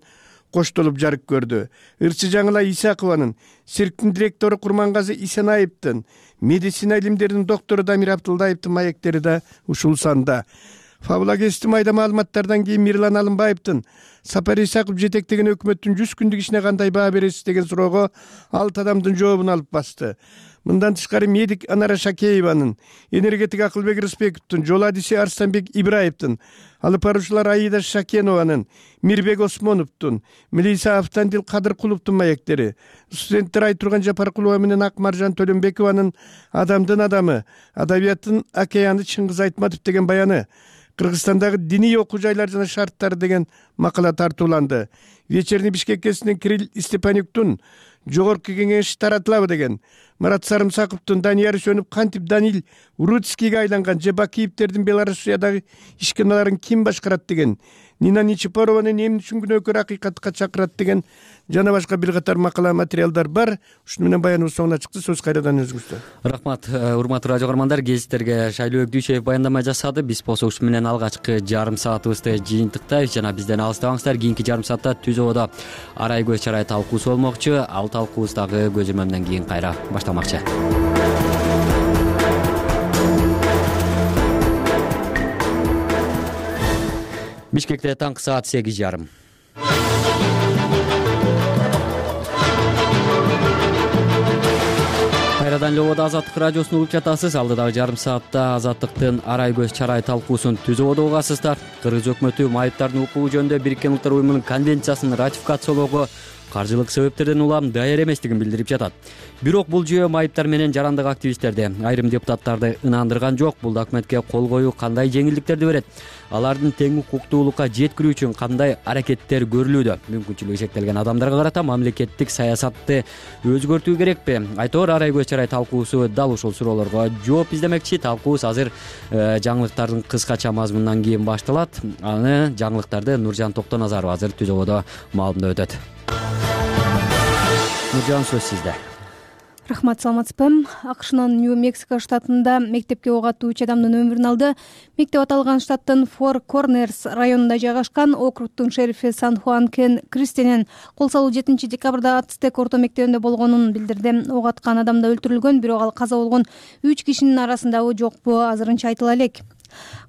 коштолуп жарык көрдү. Ырчы Жаңыла Исакованын, цирктин директору Курмангазы Исенаевдин, медицина илимдеринин доктору Дамир Абдылдаевдин маектери да ушул санда. Фабула гезити майда маалыматтардан кийин Мирлан Алымбаевдин Сапар Исаков жетектеген өкмөттүн жүз күндүк ишине кандай баа бересиз деген суроого алты адамдын жообун алып басты. Мындан тышкары медик Анара Шакееванын, энергетик Акылбек Рысбековдун, жол адиси Арстанбек Ибраевдин, алып баруучулар Аида Шакенованын, Мирбек Осмоновдун, Милиса Автандил Кадыркуловдун маектери, студенттер Айтурган Жапаркулова менен Акмаржан Төлөнбекованын Адамдын адамы, адабияттын океаны Чыңгыз Айтматов деген баяны, Кыргызстандагы диний окуу жайлар жана шарттары деген макала тартууланды. Вечерний Бишкек гезитинен Кирилл Степанюктун жогорку кеңеш таратылабы деген, Марат Сарымсаковдун Данияр Үсөнүп кантип Данил Урицкийге айланган же Бакиевдердин Белоруссиядагы ишканаларын ким башкарат деген, Нина Нечипорованын эмне үчүн күнөөкөр акыйкатка чакырат деген жана башка бир катар макала материалдар бар. Ушуну менен баяныбыз соңуна чыкты. Сөз кайрадан өзүңүздө. Рахмат, урматтуу радио көрөрмандар, гезиттерге Шайлоо Өкдүйшев баяндама жасады. Биз болсо ушу менен алгачкы жарым саатыбызды жыйынтыктайбыз жана бизден алыстабаңыздар. Кийинки жарым саатта Түз Ободо арай көз чарай талкуусу болмокчу. Ал талкуубуз дагы көзөмөлдөн кийин кайра башталмакчы. Бишкекте таңкы саат сегиз жарым. Кайрадан Лободо Азаттык радиосун угуп жатасыз. Алдыдагы жарым саатта Азаттыктын арай көз чарай талкуусун Түз Ободо угасыздар. Кыргыз өкмөтү майыптардын укугу жөнүндө Бириккен Улуттар уюмунун конвенциясын ратификациялоого каржылык себептерден улам даяр эместигин билдирип жатат. Бирок бул жүйө майыптар менен жарандык активисттерди, айрым депутаттарды ынандырган жок. Бул документке кол коюу кандай жеңилдиктерди берет? Алардын тең укуктуулукка жеткирүү үчүн кандай аракеттер көрүлүүдө? Мүмкүнчүлүгү чектелген адамдарга карата мамлекеттик саясатты өзгөртүү керекпи? Айтор арай көз чарай талкуусу дал ушул суроолорго жооп издемекчи. Талкуубуз азыр жаңылыктардын кыскача мазмунунан кийин башталат. Аны жаңылыктарды Нуржан Токтоназарова азыр Түз Ободо маалымдап өтөт. Нуржан, сөз сизде. Рахмат, саламатсызбы. АКШнын Нью-Мексико штатында мектепке ок атуу үч адамдын өмүрүн алды. Мектеп аталган штаттын Фор Корнерс районунда жайгашкан. Округдун шерифи Сан-Хуан Кен Кристенен кол салуу жетинчи декабрда Ацтек орто мектебинде болгонун билдирди. Ок аткан адам да өлтүрүлгөн, бирок ал каза болгон үч кишинин арасындабы жокпу азырынча айтыла элек.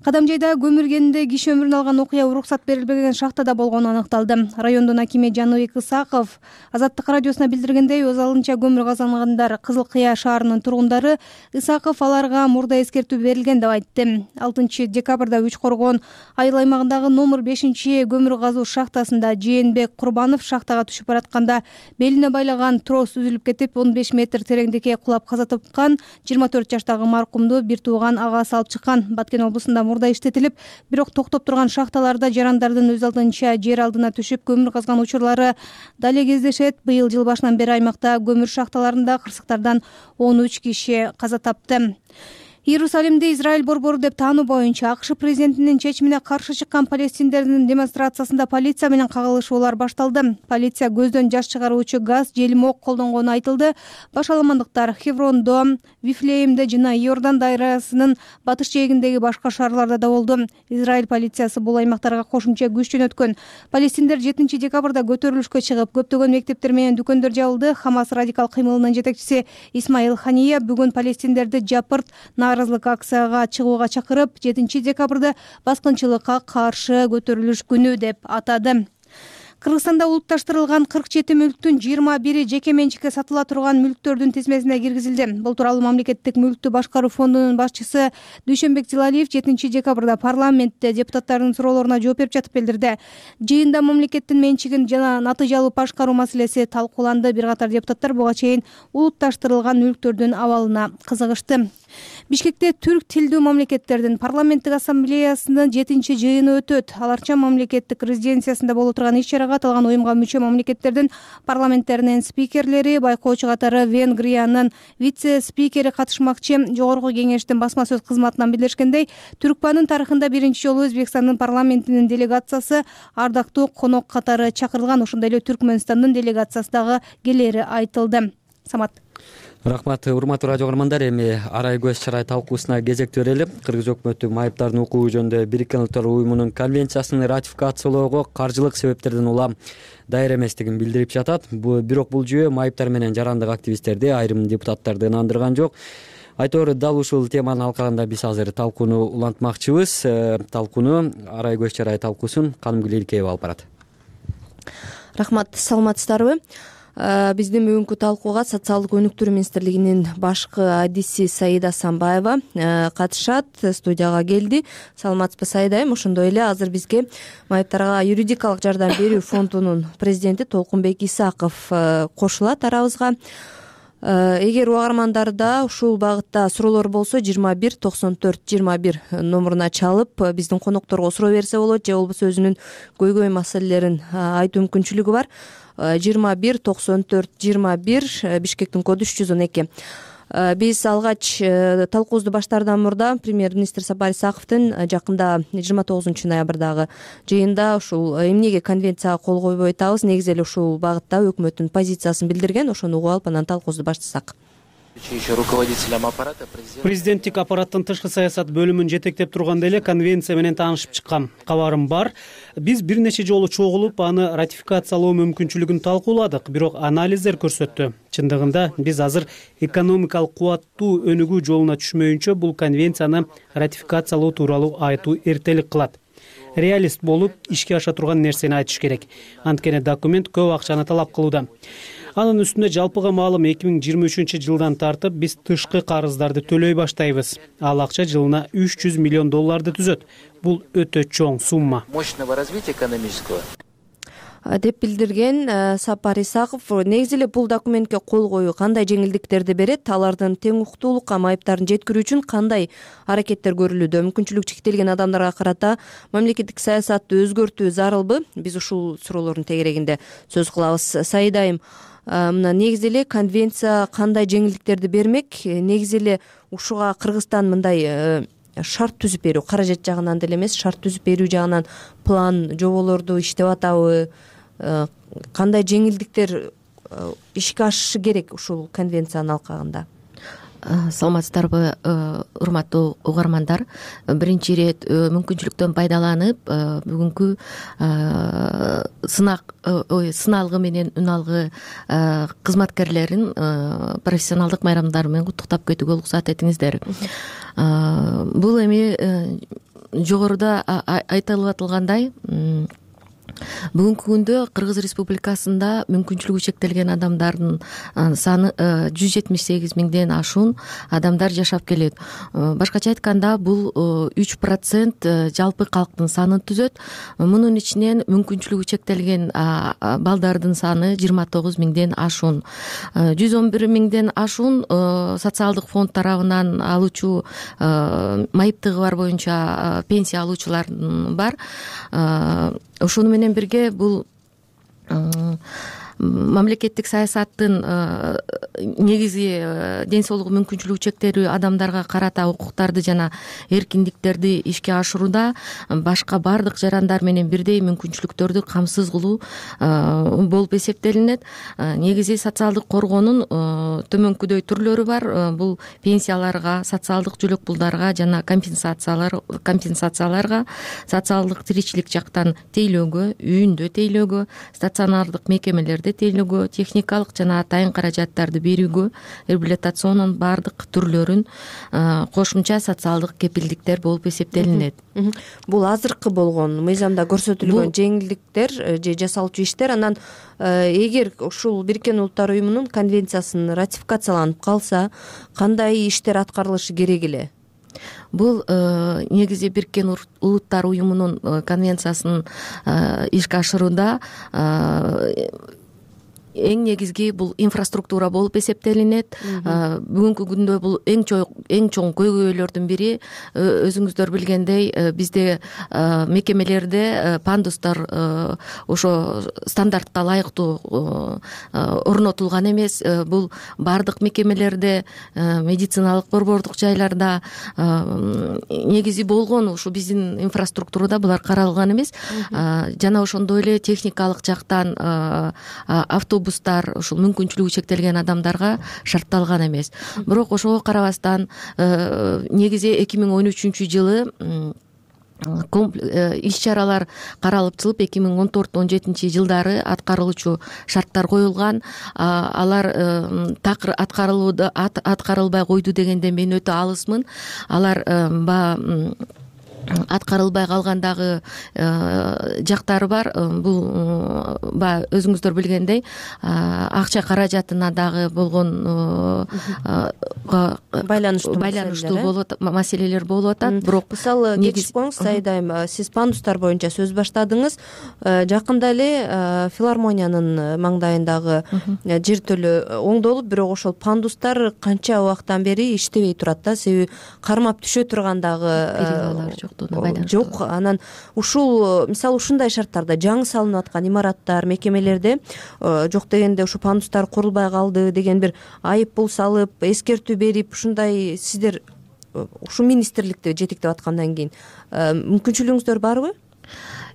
Кадамжайда көмүр кенинде киши өмүрүн алган окуя уруксат берилбеген шахтада болгону аныкталды. Райондун акими Жаныбек Исаков Азаттык радиосуна билдиргендей, өз алынча көмүр казангандар Кызыл Кыя шаарынын тургундары. Исаков аларга мурда эскертүү берилген деп айтты. алтынчы декабрда Үч Коргон айыл аймагындагы номер бешинчи көмүр казуу шахтасында Жээнбек Курбанов шахтага түшүп баратканда белине байлаган трос үзүлүп кетип, он беш метр тереңдикке кулап каза тапкан. жыйырма төрт жаштагы маркумду бир тууган агасы алып чыккан. Баткен облусунда мурда иштетилип, бирок токтоп турган шахталарда жарандардын өз алдынча жер алдына түшүп көмүр казган учурлары дале кездешет. Быйыл жыл башынан бери аймакта көмүр шахталарында кырсыктардан он үч киши каза тапты. Иерусалимди Израиль борбору деп таануу боюнча АКШ президентинин чечимине каршы чыккан палестиндердин демонстрациясында полиция менен кагылышуулар башталды. Полиция көздөн жаш чыгаруучу газ, желмок колдонгону айтылды. Башаламандыктар Хеврондо, Вифлеемде жана Иордан дарыясынын батыш жээгиндеги башка шаарларда да болду. Израиль полициясы бул аймактарга кошумча күч жөнөткөн. Палестиндер жетинчи декабрда көтөрүлүшкө чыгып, көптөгөн мектептер менен дүкөндөр жабылды. Хамас радикал кыймылынын жетекчиси Исмаил Хания бүгүн палестиндерди жапырт нааразылык акцияга чыгууга чакырып, жетинчи декабрда баскынчылыкка каршы көтөрүлүш күнү деп атады. Кыргызстанда улутташтырылган кырк жети мүлктүн жыйырма бири жеке менчикке сатыла турган мүлктөрдүн тизмесине киргизилди. Бул тууралуу мамлекеттик мүлктү башкаруу фондунун башчысы Дүйшөнбек Зилалиев жетинчи декабрда парламентте депутаттардын суроолоруна жооп берип жатып билдирди. Жыйында мамлекеттин менчигин жана натыйжалуу башкаруу маселеси талкууланды. Бир катар депутаттар буга чейин улутташтырылган мүлктөрдүн абалына кызыгышты. Бишкекте түрк тилдүү мамлекеттердин парламенттик ассамблеясынын жетинчи жыйыны өтөт. Аларча мамлекеттик резиденциясында боло турган иш-чарага аталган уюмга мүчө мамлекеттердин парламенттеринин спикерлери, байкоочу катары Венгриянын вице-спикери катышмакчы. Жогорку кеңештин басма сөз кызматынан билдиришкендей, Түркпанын тарыхында биринчи жолу Өзбекстандын парламентинин делегациясы ардактуу конок катары чакырылган. Ошондой эле Түркмөнстандын делегациясы дагы келери айтылды. Самат. Рахмат, урматтуу радио көрөрмандар. Эми арай көз чарай талкуусуна кезек берели. Кыргыз өкмөтү майыптардын укугу жөнүндө Бириккен Улуттар уюмунун конвенциясын ратификациялоого каржылык себептерден улам даяр эместигин билдирип жатат. Бирок бул жүйө майыптар менен жарандык активисттерди, айрым депутаттарды ынандырган жок. Айтор, дал ушул теманын алкагында биз азыр талкууну улантмакчыбыз. Талкууну арай көз чарай талкуусун Канымгүл Илкеева алып барат. Рахмат, саламатсыздарбы? Биздин бүгүнкү талкууга Социалдык өнүктүрүү министрлигинин башкы адиси Саида Асанбаева катышат, студияга келди. Саламатсызбы, Саида айым? Ошондой эле азыр бизге майыптарга юридикалык жардам берүү фондунун президенти Толкунбек Исаков кошулат арабызга. эгер угармандарда ушул багытта суроолор болсо жыйырма бир токсон төрт жыйырма бир номуруна чалып биздин конокторго суроо берсе болот, же болбосо өзүнүн көйгөй маселелерин айтуу мүмкүнчүлүгү бар. жыйырма бир токсон төрт жыйырма бир, Бишкектин коду үч жүз он эки. Биз алгач талкуубузду баштаардан мурда премьер-министр Сапар Исаковдун жакында жыйырма тогузунчу ноябрдагы жыйында ушул эмнеге конвенцияга кол койбой атабыз, негизи эле ушул багытта өкмөттүн позициясын билдирген. Ошону угуп алып анан талкуубузду баштасак. Президенттик аппараттын тышкы саясат бөлүмүн жетектеп турганда эле конвенция менен таанышып чыккам. Кабарым бар. Биз бир нече жолу чогулуп аны ратификациялоо мүмкүнчүлүгүн талкууладык, бирок анализдер көрсөттү. Чындыгында биз азыр экономикалык кубаттуу өнүгүү жолуна түшмөйүнчө бул конвенцияны ратификациялоо тууралуу айтуу эртелик кылат. Реалист болуп ишке аша турган нерсени айтыш керек. Анткени документ көп акчаны талап кылууда. Анын үстүнө жалпыга маалым эки миң жыйырма үчүнчү жылдан тартып биз тышкы карыздарды төлөй баштайбыз. Ал акча жылына үч жүз миллион долларды түзөт. Бул өтө чоң сумма. Мощного развития экономического деп билдирген Сапар Исаков. Негизи эле бул документке кол коюу кандай жеңилдиктерди берет, алардын тең укуктуулукка майыптарын жеткирүү үчүн кандай аракеттер көрүлүүдө, мүмкүнчүлүгү чектелген адамдарга карата мамлекеттик саясатты өзгөртүү зарылбы? Биз ушул суроолордун тегерегинде сөз кылабыз. Сайдайым, мына негизи эле конвенция кандай жеңилдиктерди бермек? Негизи эле ушуга Кыргызстан мындай шарт түзүп берүү, каражат жагынан деле эмес, шарт түзүп берүү жагынан план, жоболорду иштеп атабы? Кандай жеңилдиктер ишке ашышы керек ушул конвенциянын алкагында? Саламатсыздарбы, урматтуу угармандар. Биринчи ирет мүмкүнчүлүктөн пайдаланып, бүгүнкү сынак сыналгы менен үн алгы кызматкерлерин профессионалдык майрамдары менен куттуктап кетүүгө уруксат этиңиздер. Бул эми жогоруда айтылып атылгандай, бүгүнкү күндө Кыргыз Республикасында мүмкүнчүлүгү чектелген адамдардын саны жүз жетимиш сегиз миңден ашуун адамдар жашап келет. Башкача айтканда, бул үч процент жалпы калктын санын түзөт. Мунун ичинен мүмкүнчүлүгү чектелген балдардын саны жыйырма тогуз миңден ашуун. жүз он бир миңден ашуун социалдык фонд тарабынан алуучу майыптыгы бар боюнча пенсия алуучулар бар. Ошону менен бирге бул мамлекеттик саясаттын негизи ден соолугу мүмкүнчүлүгү чектелүү адамдарга карата укуктарды жана эркиндиктерди ишке ашырууда башка бардык жарандар менен бирдей мүмкүнчүлүктөрдү камсыз кылуу болуп эсептелинет. Негизи социалдык коргоонун төмөнкүдөй түрлөрү бар. Бул пенсияларга, социалдык жөлөк пулдарга жана компенсациялар компенсацияларга, социалдык тиричилик жактан тейлөөгө, үйүндө тейлөөгө, стационардык мекемелерде тейлөөгө, техникалык жана атайын каражаттарды берүүгө, реабилитационун бардык түрлөрүн, кошумча социалдык кепилдиктер болуп эсептелинет. Бул азыркы болгон мыйзамда көрсөтүлгөн жеңилдиктер же жасалчу иштер. Анан эгер ушул Бириккен Улуттар уюмунун конвенциясын ратификацияланып калса, кандай иштер аткарылышы керек эле? Бул негизи Бириккен Улуттар уюмунун конвенциясын ишке ашырууда эң негизги бул инфраструктура болуп эсептелинет. Бүгүнкү күндө бул эң чоң эң чоң көйгөйлөрдүн бири, өзүңүздөр билгендей, бизде мекемелерде пандустар ошо стандартка ылайыктуу орнотулган эмес. Бул бардык мекемелерде, медициналык борбордук жайларда негизи болгон ушу биздин инфраструктурада булар каралган эмес. Жана ошондой эле техникалык жактан автобус бустар ушул мүмкүнчүлүгү чектелген адамдарга шартталган эмес. Бирок ошого карабастан негизи эки миң он үчүнчү жылы иш чаралар каралып чыгып, эки миң он төрт он жетинчи жылдары аткарылуучу шарттар коюлган. Алар такыр аткарылууда аткарылбай койду дегенде мен өтө алысмын. Алар аткарылбай калган дагы жактары бар. Бул баягы өзүңүздөр билгендей акча каражатына дагы болгон байланыштуу байланыштуу болуп маселелер болуп атат. Бирок мисалы кетишип коюңуз Саида айым, сиз пандустар боюнча сөз баштадыңыз. Жакында эле филармониянын маңдайындагы жертөлө оңдолуп, бирок ошол пандустар канча убакыттан бери иштебей турат да, себеби кармап түшө турган дагы жок. Анан ушул мисалы ушундай шарттарда жаңы салынып аткан имараттар, мекемелерде жок дегенде ушу пандустар курулбай калды деген бир айып пул салып, эскертүү берип, ушундай сиздер ушу министрликти жетектеп аткандан кийин мүмкүнчүлүгүңүздөр барбы?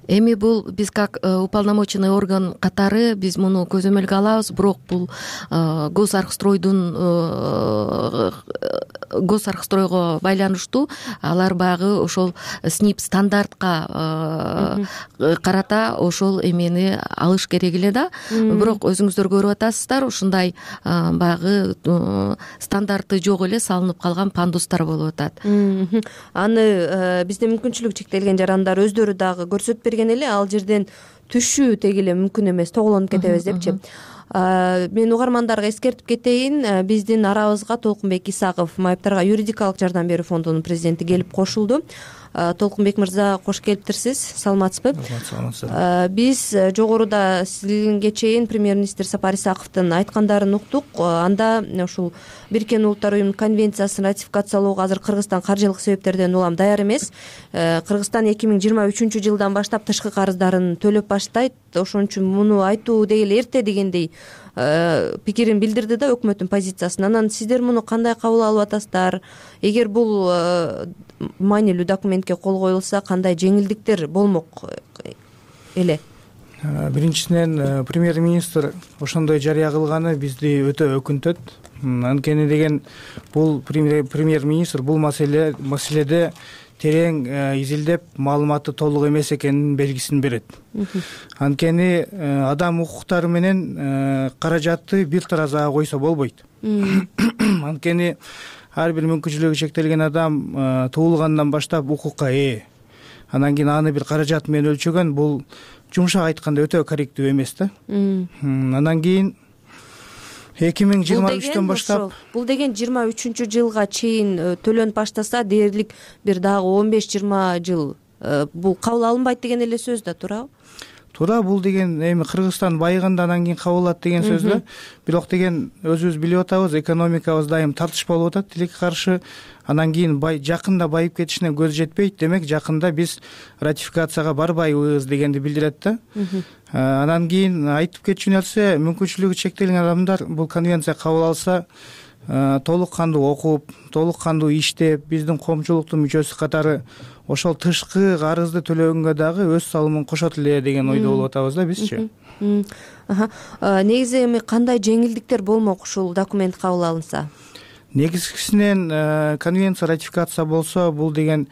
Эми бул биз как уполномоченный орган катары биз муну көзөмөлгө алабыз, бирок бул госархстройдун госархстройго байланыштуу алар баягы ошол СНИП стандартка карата ошол эмени алыш керек эле да. Бирок өзүңүздөр көрүп атасыздар, ушундай баягы стандарты жок эле салынып калган пандустар болуп атат. Аны бизде мүмкүнчүлүгү чектелген жарандар өздөрү дагы көрсөтүп берген эле, ал жерден түшүү теги эле мүмкүн эмес, тоголонуп кетебиз депчи. Мен угармандарга эскертип кетейин, биздин арабызга Толкунбек Исаков, майыптарга юридикалык жардам берүү фондунун президенти келип кошулду. Толкунбек мырза, кош келиптирсиз, саламатсызбы? Биз жогоруда сизге чейин премьер-министр Сапар Исаковдун айткандарын уктук. Анда ушул Бириккен Улуттар уюмунун конвенциясын ратификациялоого азыр Кыргызстан каржылык себептерден улам даяр эмес. Кыргызстан эки миң жыйырма үчүнчү жылдан баштап тышкы карыздарын төлөп баштайт. Ошон үчүн муну айтуу деги эле эрте дегендей пикирин билдирди да өкмөттүн позициясын. Анан сиздер муну кандай кабыл алып атасыздар? Эгер бул маанилүү документке кол коюлса, кандай жеңилдиктер болмок эле? Биринчисинен премьер-министр ошондой жарыя кылганы бизди өтө өкүнтөт. Анткени деген бул премьер-министр бул маселе маселеде терең изилдеп, маалыматы толук эмес экенин белгисин берет. Анткени адам укуктары менен каражатты бир таразага койсо болбойт. Анткени ар бир мүмкүнчүлүгү чектелген адам туулгандан баштап укукка ээ. Анан кийин аны бир каражат менен өлчөгөн, бул жумшак айтканда өтө корректүү эмес да. Анан кийин эки миң жыйырма үчтөн баштап бул деген жыйырма үчүнчү жылга чейин төлөнүп баштаса, дээрлик бир дагы он беш жыйырма жыл бул кабыл алынбайт деген эле сөз да, туурабы? Туура, бул деген эми Кыргызстан байыганда анан кийин кабыл алат деген сөз да. Бирок деген өзүбүз билип атабыз, экономикабыз дайым тартыш болуп атат, тилекке каршы. Анан кийин жакында байып кетишине көз жетпейт, демек жакында биз ратификацияга барбайбыз дегенди билдирет да. Анан кийин айтып кетчү нерсе, мүмкүнчүлүгү чектелген адамдар бул конвенция кабыл алса, толук кандуу окуп, толук кандуу иштеп, биздин коомчулуктун мүчөсү катары ошол тышкы карызды төлөгөнгө дагы өз салымын кошот эле деген ойдо болуп атабыз да бизчи. Негизи эми кандай жеңилдиктер болмок ушул документ кабыл алынса? Негизгисинен конвенция ратификация болсо, бул деген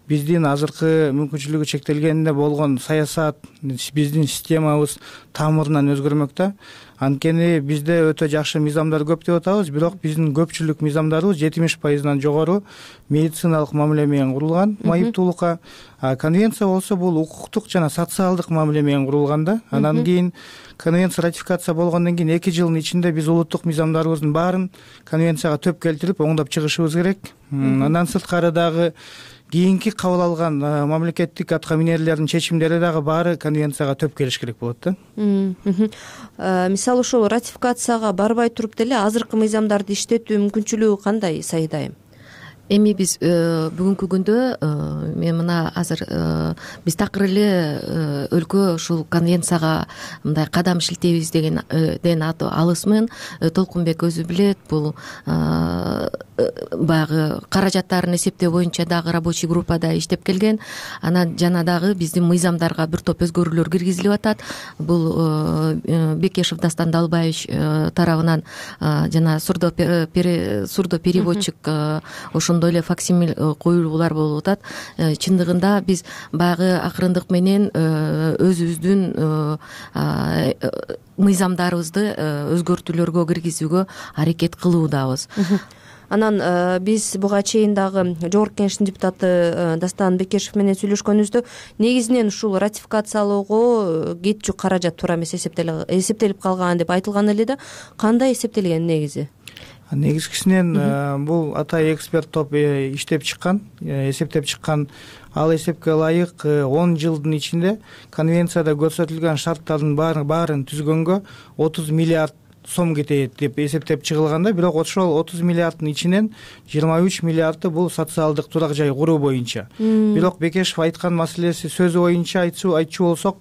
биздин азыркы мүмкүнчүлүгү чектелгенде болгон саясат, биздин системабыз тамырынан өзгөрмөк да. Анткени бизде өтө жакшы мыйзамдар көп деп атабыз, бирок биздин көпчүлүк мыйзамдарыбыз жетимиш пайыздан жогору медициналык мамиле менен курулган, майыптуулукка. А конвенция болсо бул укуктук жана социалдык мамиле менен курулган да. Анан кийин конвенция ратификация болгондон кийин эки жылдын ичинде биз улуттук мыйзамдарыбыздын баарын конвенцияга төп келтирип, оңдоп чыгышыбыз керек. Андан сырткары дагы кийинки кабыл алган мамлекеттик атка минерлердин чечимдери дагы баары конвенцияга төп келиш керек болот да. Мисалы ошол ратификацияга барбай туруп деле азыркы мыйзамдарды иштетүү мүмкүнчүлүгү кандай, Саида айым? Эми биз бүгүнкү күндө мен мына азыр биз такыр эле өлкө ушул конвенцияга мындай кадам шилтейбиз дегенден алысмын. Толкунбек өзү билет, бул баягы каражаттарын эсептөө боюнча дагы рабочий группада иштеп келген. Анан жана дагы биздин мыйзамдарга бир топ өзгөрүүлөр киргизилип атат. Бул Бекешев Дастан Далбаевич тарабынан жана сурдопереводчик ошондой эле факсимил коюлуулар болуп атат. Чындыгында биз баягы акырындык менен өзүбүздүн мыйзамдарыбызды өзгөртүүлөргө киргизүүгө аракет кылуудабыз. Анан биз буга чейин дагы жогорку кеңештин депутаты Дастан Бекешев менен сүйлөшкөнүбүздө негизинен ушул ратификациялоого кетчү каражат туура эмес эсептелип калган деп айтылган эле да. Кандай эсептелген негизи? Негизгисинен бул атайын эксперт топ иштеп чыккан, эсептеп чыккан. Ал эсепке ылайык он жылдын ичинде конвенцияда көрсөтүлгөн шарттардын баарын түзгөнгө отуз миллиард сом кетет деп эсептеп чыгылганда, бирок ошол отуз миллиарддын ичинен жыйырма үч миллиарды бул социалдык турак жай куруу боюнча. Бирок Бекешев айткан маселеси сөзү боюнча айтчу болсок,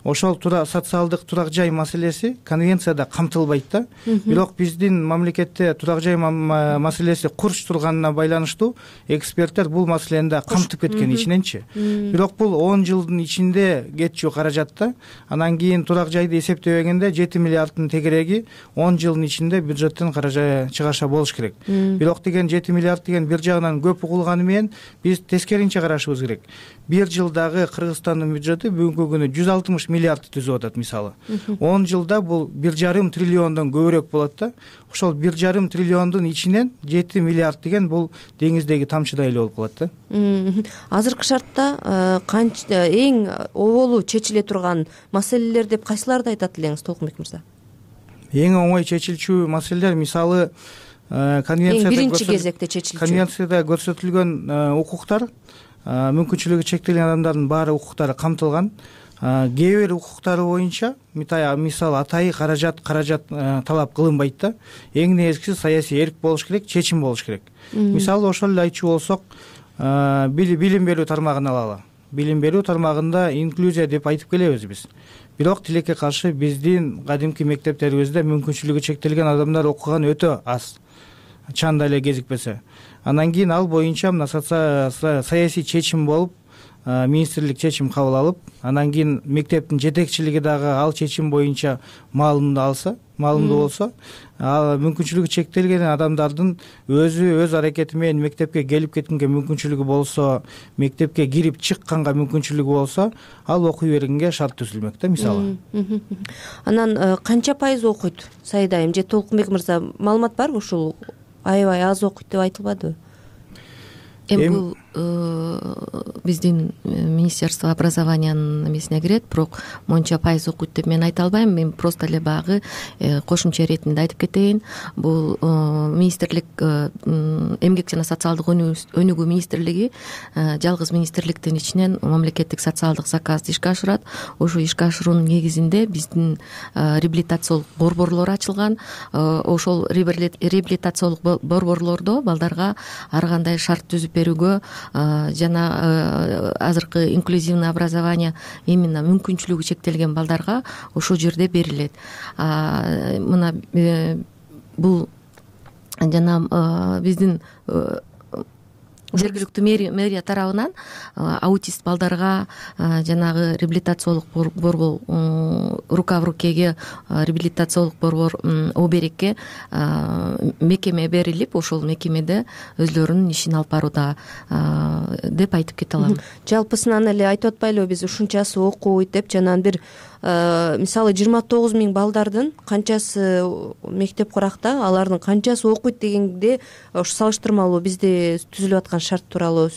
ошол социалдык турак жай маселеси конвенцияда камтылбайт да. Бирок биздин мамлекетте турак жай маселеси курч турганына байланыштуу эксперттер бул маселени да камтып кеткен ичиненчи. Бирок бул он жылдын ичинде кетчү каражат да. Анан кийин турак жайды эсептебегенде жети миллиарддын тегереги он жылдын ичинде бюджеттен каражат чыгаша болуш керек. Бирок деген жети миллиард деген бир жагынан көп угулганы менен биз тескеринче карашыбыз керек. Бир жылдагы Кыргызстандын бюджети бүгүнкү күнү жүз алтымыш миллиард түзүп атат мисалы. он жылда бул бир жарым триллиондон көбүрөөк болот да. Ошол бир жарым триллиондун ичинен жети миллиард деген бул деңиздеги тамчыдай эле болуп калат да. Азыркы шартта канча эң оболу чечиле турган маселелер деп кайсыларды айтат элеңиз, Толкунбек мырза? Эң оңой чечилчү маселелер мисалы конвенцияда биринчи кезекте чечилчү. Конвенцияда көрсөтүлгөн укуктар, мүмкүнчүлүгү чектелген адамдардын баары укуктары камтылган. Кээ бир укуктары боюнча мисалы атайын каражат каражат талап кылынбайт да. Эң негизгиси саясий эрк болуш керек, чечим болуш керек. Мисалы ошол эле айтчу болсок, билим берүү тармагын алалы. Билим берүү тармагында инклюзия деп айтып келебиз биз. Бирок тилекке каршы биздин кадимки мектептерибизде мүмкүнчүлүгү чектелген адамдар окуган өтө аз. Чанда эле кезикпесе. Анан кийин ал боюнча мына саясий чечим болуп, министрлик чечим кабыл алып, анан кийин мектептин жетекчилиги дагы ал чечим боюнча маалымды алса, маалымдуу болсо, ал мүмкүнчүлүгү чектелген адамдардын өзү өз аракети менен мектепке келип кеткенге мүмкүнчүлүгү болсо, мектепке кирип чыкканга мүмкүнчүлүгү болсо, ал окуй бергенге шарт түзүлмөк да мисалы. Анан канча пайыз окуйт Сайдайым же Толкунбек мырза, маалымат барбы ушул? Аябай аз окуйт деп айтылбадыбы? Эми бул биздин Министерство образованиянын эмесине кирет, бирок монча пайыз окуйт деп мен айта албайм. Мен просто эле багы кошумча иретинде айтып кетейин. Бул министрлик, эмгек жана социалдык өнүгүү министрлиги жалгыз министрликтин ичинен мамлекеттик социалдык заказды ишке ашырат. Ошо ишке ашыруунун негизинде биздин реабилитациялык борборлор ачылган. Ошол реабилитациялык борборлордо балдарга ар кандай шарт түзүп берүүгө жана азыркы инклюзивный образование именно мүмкүнчүлүгү чектелген балдарга ошол жерде берилет. Мына бул жана биздин жергиликтүү мэрия тарабынан аутист балдарга жанагы реабилитациялык борбор, рука в рукеге реабилитациялык борбор оберекке мекеме берилип, ошол мекемеде өзлөрүнүн ишин алып барууда деп айтып кете алам. Жалпысынан эле айтып атпайлыбы биз ушунчасы окуйт деп, жанагы бир мисалы жыйырма тогуз миң балдардын канчасы мектеп куракта, алардын канчасы окуйт дегенде ошо салыштырмалуу бизде түзүлүп аткан шарт тууралуу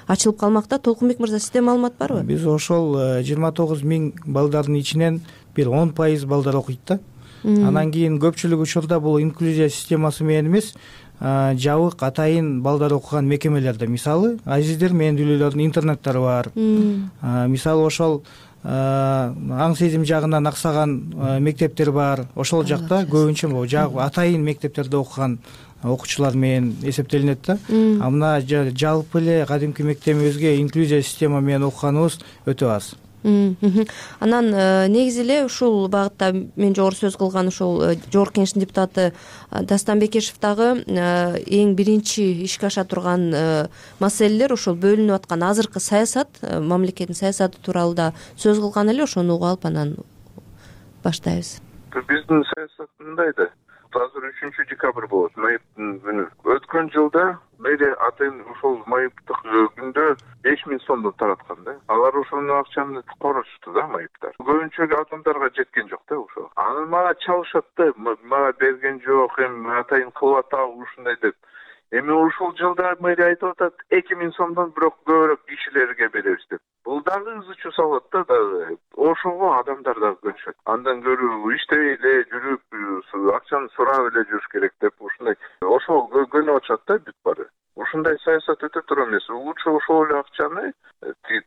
ачылып калмакта. Толкунбек мырза, сизде маалымат барбы? Биз ошол жыйырма тогуз миң балдардын ичинен бир он пайыз балдар окуйт да. Анан кийин көпчүлүк учурда бул инклюзия системасы менен эмес, жабык атайын балдар окуган мекемелерде, мисалы азиздер менен дүүлөрдүн интернеттери бар. Мисалы ошол аң сезим жагынан аксаган мектептер бар. Ошол жакта көбүнчө атайын мектептерде окуган окуучулар менен эсептелинет да. А мына жалпы эле кадимки мектебибизге инклюзия система менен окуганыбыз өтө аз. Анан негизи эле ушул багытта мен жогору сөз кылган ушул жогорку кеңештин депутаты Дастан Бекешев дагы эң биринчи ишке аша турган маселелер ошол бөлүнүп аткан азыркы саясат, мамлекеттин саясаты тууралуу да сөз кылган эле. Ошону угуп алып анан баштайбыз. Биздин саясат мындай да, азыр үчүнчү декабрь болот, ноябрдын күнү. Өткөн жылда мэрия атайын ошол майыптык күндө беш миң сомдон тараткан да. Алар ошол акчаны корочту да майыптар. Көбүнчө адамдарга жеткен жок да ошол. Анан мага чалышат да, мага берген жок, эми атайын кылып атабы ушундай деп. Эми ушул жылда мэрия айтып атат эки миң сомдон бирок көбүрөөк кишилерге беребиз деп. Бул дагы ыз чуу салат да дагы. Ошого адамдар дагы көнүшөт. Андан көрө иштебей эле жүрүп, акчаны сурап эле жүрүш керек деп ушундай ошол көнүп атышат да бүт баары. Ушундай саясат өтө тура эмес. Лучше ошол эле акчаны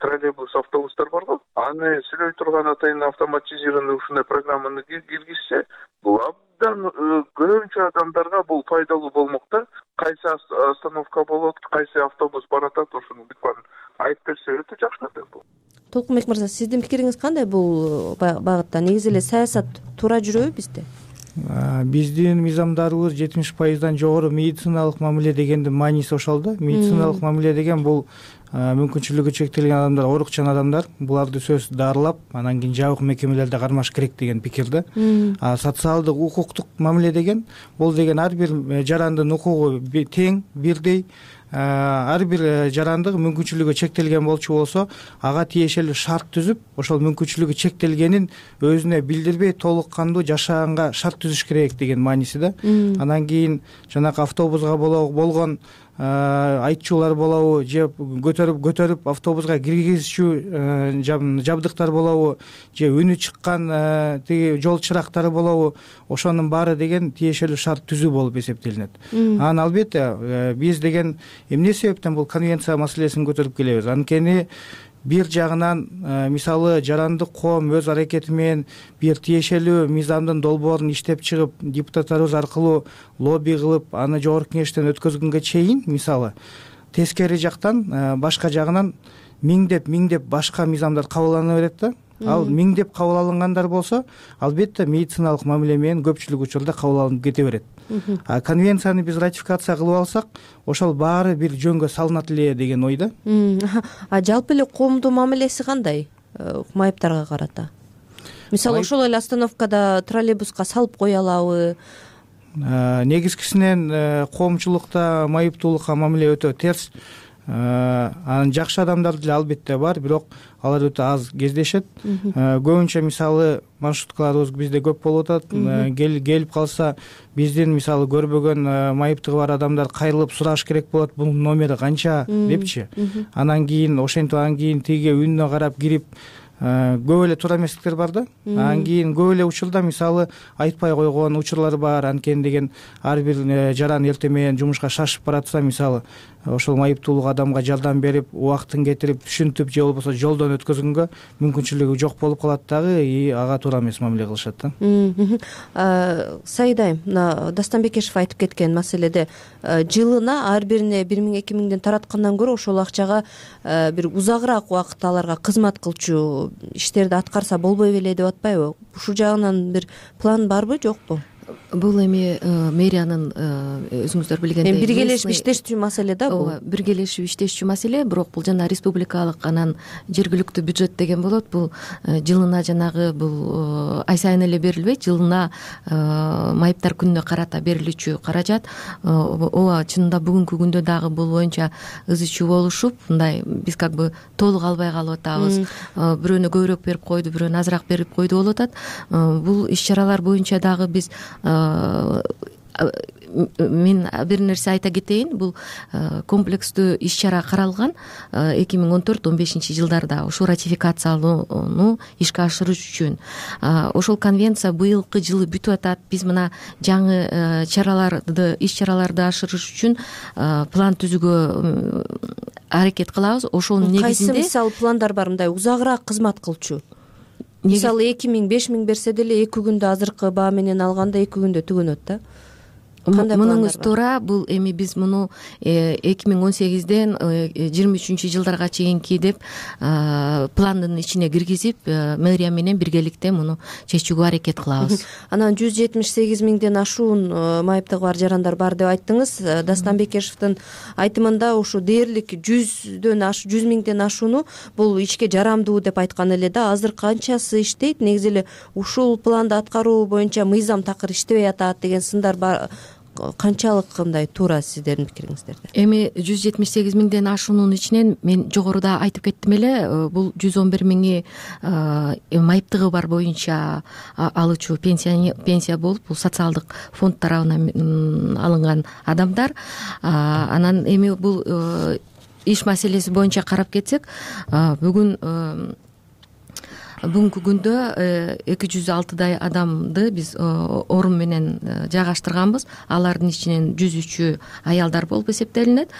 троллейбус, автобустар бар го. Аны сүйлөй турган атайын автоматизированный ушундай программаны киргизсе, бул абдан көбүнчө адамдарга бул пайдалуу болмок да. Кайсы остановка болот, кайсы автобус баратат, ошону бүт баарын айтып берсе өтө жакшы да бул. Толкунбек мырза, сиздин пикириңиз кандай бул багытта? Негизи эле саясат туура жүрөбү бизде? Биздин мыйзамдарыбыз жетимиш пайыздан жогору медициналык мамиле дегендин мааниси ошол да. Медициналык мамиле деген бул мүмкүнчүлүгү чектелген адамдар, оорукчан адамдар, буларды сөзсүз дарылап, анан кийин жабык мекемелерде кармаш керек деген пикир да. А социалдык, укуктук мамиле деген бул деген ар бир жарандын укугу тең, бирдей. Ар бир жарандык мүмкүнчүлүгү чектелген болчу болсо, ага тиешелүү шарт түзүп, ошол мүмкүнчүлүгү чектелгенин өзүнө билдирбей толук кандуу жашаганга шарт түзүш керек деген мааниси да. Анан кийин жанагы автобуска болгон айтчулар болобу, же көтөрүп көтөрүп автобуска киргизүүчү жабдыктар болобу, же үнү чыккан тиги жол чырактары болобу, ошонун баары деген тиешелүү шарт түзүү болуп эсептелинет. Анан албетте биз деген эмне себептен бул конвенция маселесин көтөрүп келебиз? Анткени бир жагынан мисалы жарандык коом өз аракети менен бир тиешелүү мыйзамдын долбоорун иштеп чыгып, депутаттарыбыз аркылуу лобби кылып, аны жогорку кеңештен өткөзгөнгө чейин мисалы тескери жактан башка жагынан миңдеп миңдеп башка мыйзамдар кабыл алына берет да. Ал миңдеп кабыл алынгандар болсо, албетте медициналык мамиле менен көпчүлүк учурда кабыл алынып кете берет. А конвенцияны биз ратификация кылып алсак, ошол баары бир жөнгө салынат эле деген ойда. А жалпы эле коомдун мамилеси кандай майыптарга карата? Мисалы ошол эле остановкада троллейбуска салып кое алабы? Негизгисинен коомчулукта майыптуулукка мамиле өтө терс. Анан жакшы адамдар деле албетте бар, бирок алар өтө аз кездешет. Көбүнчө мисалы маршруткаларыбыз бизде көп болуп атат. Келип калса, биздин мисалы көрбөгөн майыптыгы бар адамдар кайрылып сураш керек болот, бунун номери канча депчи. Анан кийин ошентип анан кийин тиги үнүнө карап кирип көп эле туура эместиктер бар да. Анан кийин көп эле учурда мисалы айтпай койгон учурлар бар. Анткени деген ар бир жаран эртең менен жумушка шашып баратса, мисалы ошол майыптуулук адамга жардам берип, убактын кетирип, түшүнтүп же болбосо жолдон өткөзгөнгө мүмкүнчүлүгү жок болуп калат дагы, и ага туура эмес мамиле кылышат да. Саида айым, мына Дастанбекешев айтып кеткен маселеде жылына ар бирине бир миң эки миңден тараткандан көрө ошол акчага бир узагыраак убакыт аларга кызмат кылчу иштерди аткарса болбой беле деп атпайбы? Ушул жагынан бир план барбы, жокпу? Бул эми мэриянын өзүңүздөр билгендей эми биргелешип иштешчү маселе да бул. Ооба, биргелешип иштешчү маселе, бирок бул жана республикалык анан жергиликтүү бюджет деген болот. Бул жылына жанагы бул ай сайын эле берилбейт, жылына майыптар күнүнө карата берилүүчү каражат. Ооба, чынында бүгүнкү күндө дагы бул боюнча ыз чуу болушуп, мындай биз как бы толук албай калып атабыз. Бирөөнө көбүрөөк берип койду, бирөөнө азыраак берип койду болуп атат. Бул иш чаралар боюнча дагы биз мен бир нерсе айта кетейин. Бул комплекстүү иш чара каралган эки миң он төрт он бешинчи жылдарда ушул ратификациялоону ишке ашырыш үчүн. Ошол конвенция быйылкы жылы бүтүп атат. Биз мына жаңы чараларды, иш чараларды ашырыш үчүн план түзүүгө аракет кылабыз. Ошонун негизинде кайсы мисалы пландар бар, мындай узагыраак кызмат кылчу? Мисалы эки миң беш миң берсе деле эки күндө азыркы баа менен алганда эки күндө түгөнөт да. Мунуңуз туура. Бул эми биз муну эки миң он сегизден жыйырма үчүнчү жылдарга чейинки деп пландын ичине киргизип, мэрия менен биргеликте муну чечүүгө аракет кылабыз. Анан жүз жетимиш сегиз миңден ашуун майыптыгы бар жарандар бар деп айттыңыз. Дастанбекешевдин айтымында ушу дээрлик жүздөн аш жүз миңден ашууну бул ишке жарамдуу деп айткан эле да. Азыр канчасы иштейт? Негизи эле ушул планды аткаруу боюнча мыйзам такыр иштебей атат деген сындар бар. канчалык кандай туура сиздердин пикириңиздерде? Эми жүз жетимиш сегиз миңден ашуунун ичинен мен жогоруда айтып кеттим эле, бул жүз он бир миңи майыптыгы бар боюнча алуучу пенсия болуп, бул социалдык фонд тарабынан алынган адамдар. Анан эми бул иш маселеси боюнча карап кетсек, бүгүн бүгүнкү күндө эки жүз алтыдай адамды биз орун менен жайгаштырганбыз. Алардын ичинен жүз үчү аялдар болуп эсептелинет.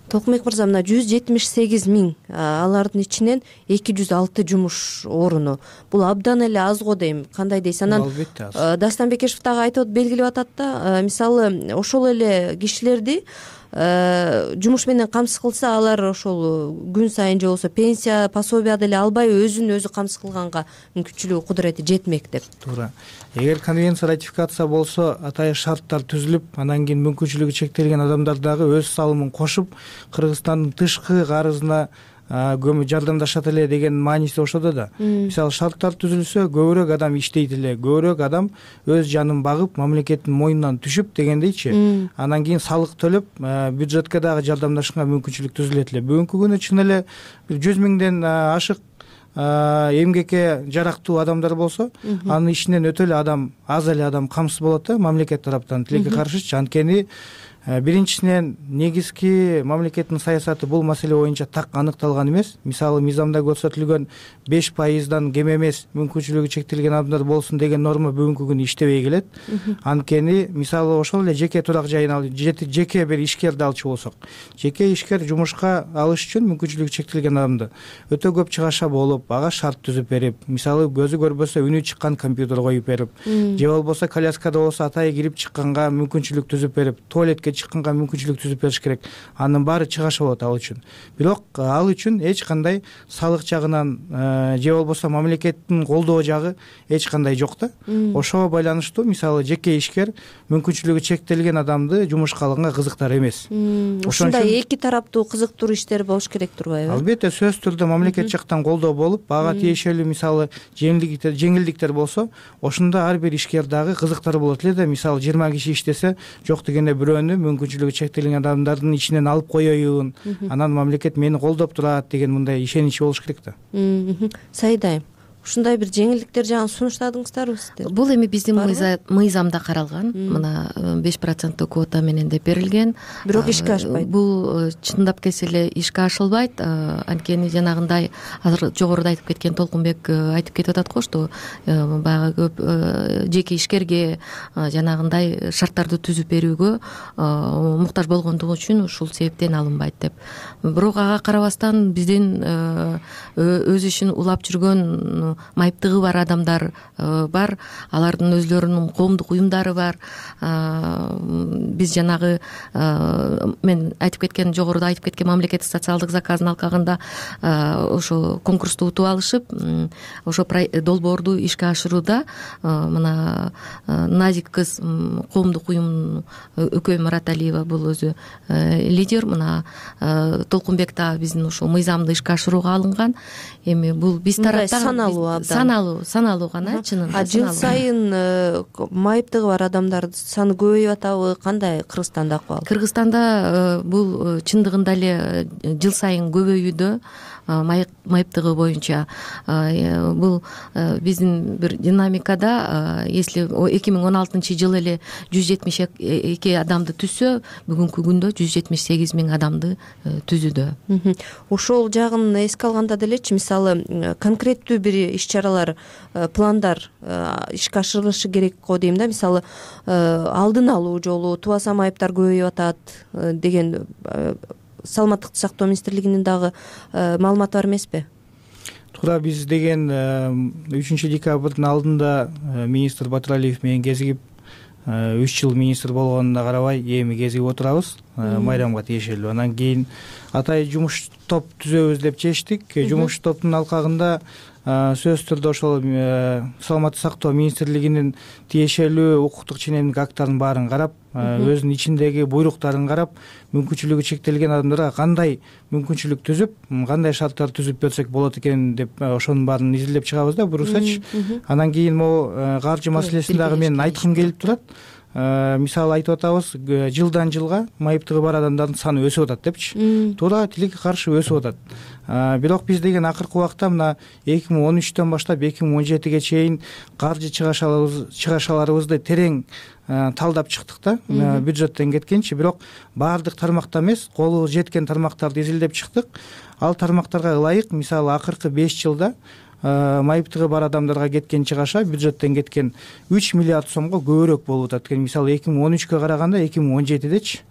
Толкунбек мырза, мына жүз жетимиш сегиз миң, алардын ичинен эки жүз алты жумуш оруну. Бул абдан эле аз го дейм. Кандай дейсиз? Анан Дастан Бекешев дагы айтып белгилеп атат да, мисалы ошол эле кишилерди жумуш менен камсыз кылса, алар ошол күн сайын же болбосо пенсия, пособия деле албай өзүн өзү камсыз кылганга мүмкүнчүлүгү, кудурети жетмек деп. Туура. Эгер конвенция ратификация болсо, атайын шарттар түзүлүп, анан кийин мүмкүнчүлүгү чектелген адамдар дагы өз салымын кошуп, Кыргызстандын тышкы карызына жардамдашат эле деген мааниси ошодо да. Мисалы шарттар түзүлсө, көбүрөөк адам иштейт эле, көбүрөөк адам өз жанын багып, мамлекеттин мойнунан түшүп дегендейчи. Анан кийин салык төлөп, бюджетке дагы жардамдашканга мүмкүнчүлүк түзүлөт эле. Бүгүнкү күнү чын эле жүз миңден ашык эмгекке жарактуу адамдар болсо, анын ичинен өтө эле адам, аз эле адам камсыз болот да, мамлекет тараптан тилекке каршычы. Анткени биринчисинен негизги мамлекеттин саясаты бул маселе боюнча так аныкталган эмес. Мисалы мыйзамда көрсөтүлгөн беш пайыздан кем эмес мүмкүнчүлүгү чектелген адамдар болсун деген норма бүгүнкү күнү иштебей келет. Анткени мисалы ошол эле жеке турак жайын ал жеке бир ишкерди алчу болсок, жеке ишкер жумушка алыш үчүн мүмкүнчүлүгү чектелген адамды өтө көп чыгаша болуп, ага шарт түзүп берип, мисалы көзү көрбөсө үнү чыккан компьютер коюп берип, же болбосо коляскада болсо атайы кирип чыкканга мүмкүнчүлүк түзүп берип, туалетке чыкканга мүмкүнчүлүк түзүп бериш керек. Анын баары чыгаша болот ал үчүн. Бирок ал үчүн эч кандай салык жагынан же болбосо мамлекеттин колдоо жагы эч кандай жок да. Ошого байланыштуу мисалы жеке ишкер мүмкүнчүлүгү чектелген адамды жумушка алганга кызыктар эмес. Ушундай эки тараптуу кызыктуу иштер болуш керек турбайбы? Албетте, сөзсүз түрдө мамлекет жактан колдоо болуп, ага тиешелүү мисалы жеңилдиктер жеңилдиктер болсо, ошондо ар бир ишкер дагы кызыктар болот эле да. Мисалы жыйырма киши иштесе, жок дегенде бирөөнү мүмкүнчүлүгү чектелген адамдардын ичинен алып коеюн, анан мамлекет мени колдоп турат деген мындай ишенич болуш керек да. Саида айым, ушундай бир жеңилдиктер жагын сунуштадыңыздарбы сиздер? Бул эми биздин мыйзамда каралган. Мына беш проценттүү квота менен деп берилген. Бирок ишке ашпайт. Бул чындап келсе эле ишке ашылбайт. Анткени жанагындай азыр жогоруда айтып кеткен Толкунбек айтып кетип атат го, что баягы көп жеке ишкерге жанагындай шарттарды түзүп берүүгө муктаж болгондугу үчүн ушул себептен алынбайт деп. Бирок ага карабастан биздин өз ишин улап жүргөн майыптыгы бар адамдар бар, алардын өзлөрүнүн коомдук уюмдары бар. Биз жанагы мен айтып кеткен, жогоруда айтып кеткен мамлекеттик социалдык заказдын алкагында ошо конкурсту утуп алышып, ошо долбоорду ишке ашырууда мына Назик кыз коомдук уюм Өкөй Мараталиева бул өзү лидер. Мына Толкунбек да биздин ушул мыйзамды ишке ашырууга алынган. Эми бул биз тараптан саналуу саналуу саналуу гана чынында. Жыл сайын майыптыгы бар адамдардын саны көбөйүп атабы? Кандай Кыргызстанда акыбал? Кыргызстанда бул чындыгында эле жыл сайын көбөйүүдө майыптыгы боюнча. Бул биздин бир динамикада, если эки миң он алтынчы жылы эле жүз жетимиш эки адамды түзсө, бүгүнкү күндө жүз жетимиш сегиз миң адамды түзүүдө. Ошол жагын эске алганда делечи, мисалы конкреттүү бир иш-чаралар, пландар ишке ашырылышы керек го дейм да. Мисалы алдын алуу жолу, тубаса майыптар көбөйүп атат деген Саламаттыкты сактоо министрлигинин дагы маалыматы бар эмеспи? Туура, биз деген үчүнчү декабрдын алдында министр Батыралиев менен кезигип, үч жыл министр болгонуна карабай эми кезигип отурабыз майрамга тиешелүү. Анан кийин атайын жумуш топ түзөбүз деп чечтик. Жумуш топтун алкагында сөзсүз түрдө ошол саламаттык сактоо министрлигинин тиешелүү укуктук ченемдик акттарын баарын карап, өзүнүн ичиндеги буйруктарын карап мүмкүнчүлүгү чектелген адамдарга кандай мүмкүнчүлүк түзүп кандай шарттар түзүп берсек болот экен деп ошонун баарын изилдеп чыгабыз да буюрсачы. Анан кийин могу каржы маселесин дагы мен айткым келип турат. Мисалы айтып атабыз, жылдан жылга майыптыгы бар адамдардын саны өсүп атат депчи. Туура тилекке каршы өсүп атат. Бирок биз деген акыркы убакта мына эки миң он үчтөн баштап эки миң он жетиге чейин каржы чыгашаларыбызды терең талдап чыктык да, бюджеттен кеткенчи. Бирок баардык тармакта эмес, колу жеткен тармактарды изилдеп чыктык. Ал тармактарга ылайык, мисалы акыркы беш жылда майыптыгы бар адамдарга кеткен чыгаша бюджеттен кеткен үч миллиард сомго көбүрөөк болуп атат экен. Мисалы эки миң он үчкө караганда эки миң он жетидечи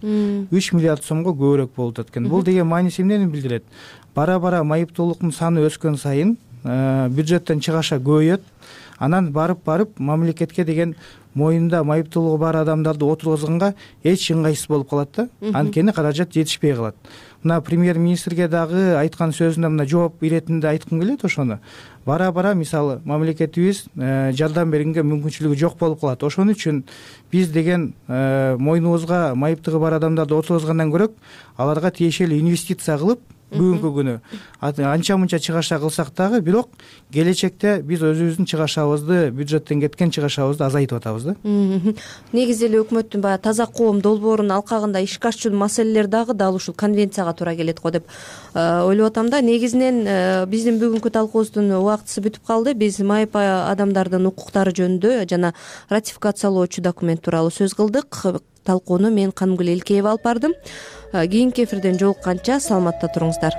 үч миллиард сомго көбүрөөк болуп атат экен. Бул деген мааниси эмнени билдирет? Бара бара майыптуулуктун саны өскөн сайын бюджеттен чыгаша көбөйөт. Анан барып барып мамлекетке деген моюнда майыптуулугу бар адамдарды отургузганга эч ыңгайсыз болуп калат да. Анткени каражат жетишпей калат. Мына премьер-министрге дагы айткан сөзүнө мына жооп иретинде айткым келет ошону. Бара бара мисалы мамлекетибиз жардам бергенге мүмкүнчүлүгү жок болуп калат. Ошон үчүн биз деген мойнубузга майыптыгы бар адамдарды отургузгандан көрөк аларга тиешелүү инвестиция кылып бүгүнкү күнү анча мынча чыгаша кылсак дагы, бирок келечекте биз өзүбүздүн чыгашабызды, бюджеттен кеткен чыгашабызды азайтып атабыз да. Негизи эле өкмөттүн баягы таза коом долбоорунун алкагында ишке ашчу маселелер дагы дал ушул конвенцияга туура келет го деп ойлоп атам да. Негизинен биздин бүгүнкү талкуубуздун убактысы бүтүп калды. Биз майып адамдардын укуктары жөнүндө жана ратификациялоочу документ тууралуу сөз кылдык. Талкууну мен Канымгүл Элкеева алып бардым. Кийинки эфирден жолукканча саламатта туруңуздар.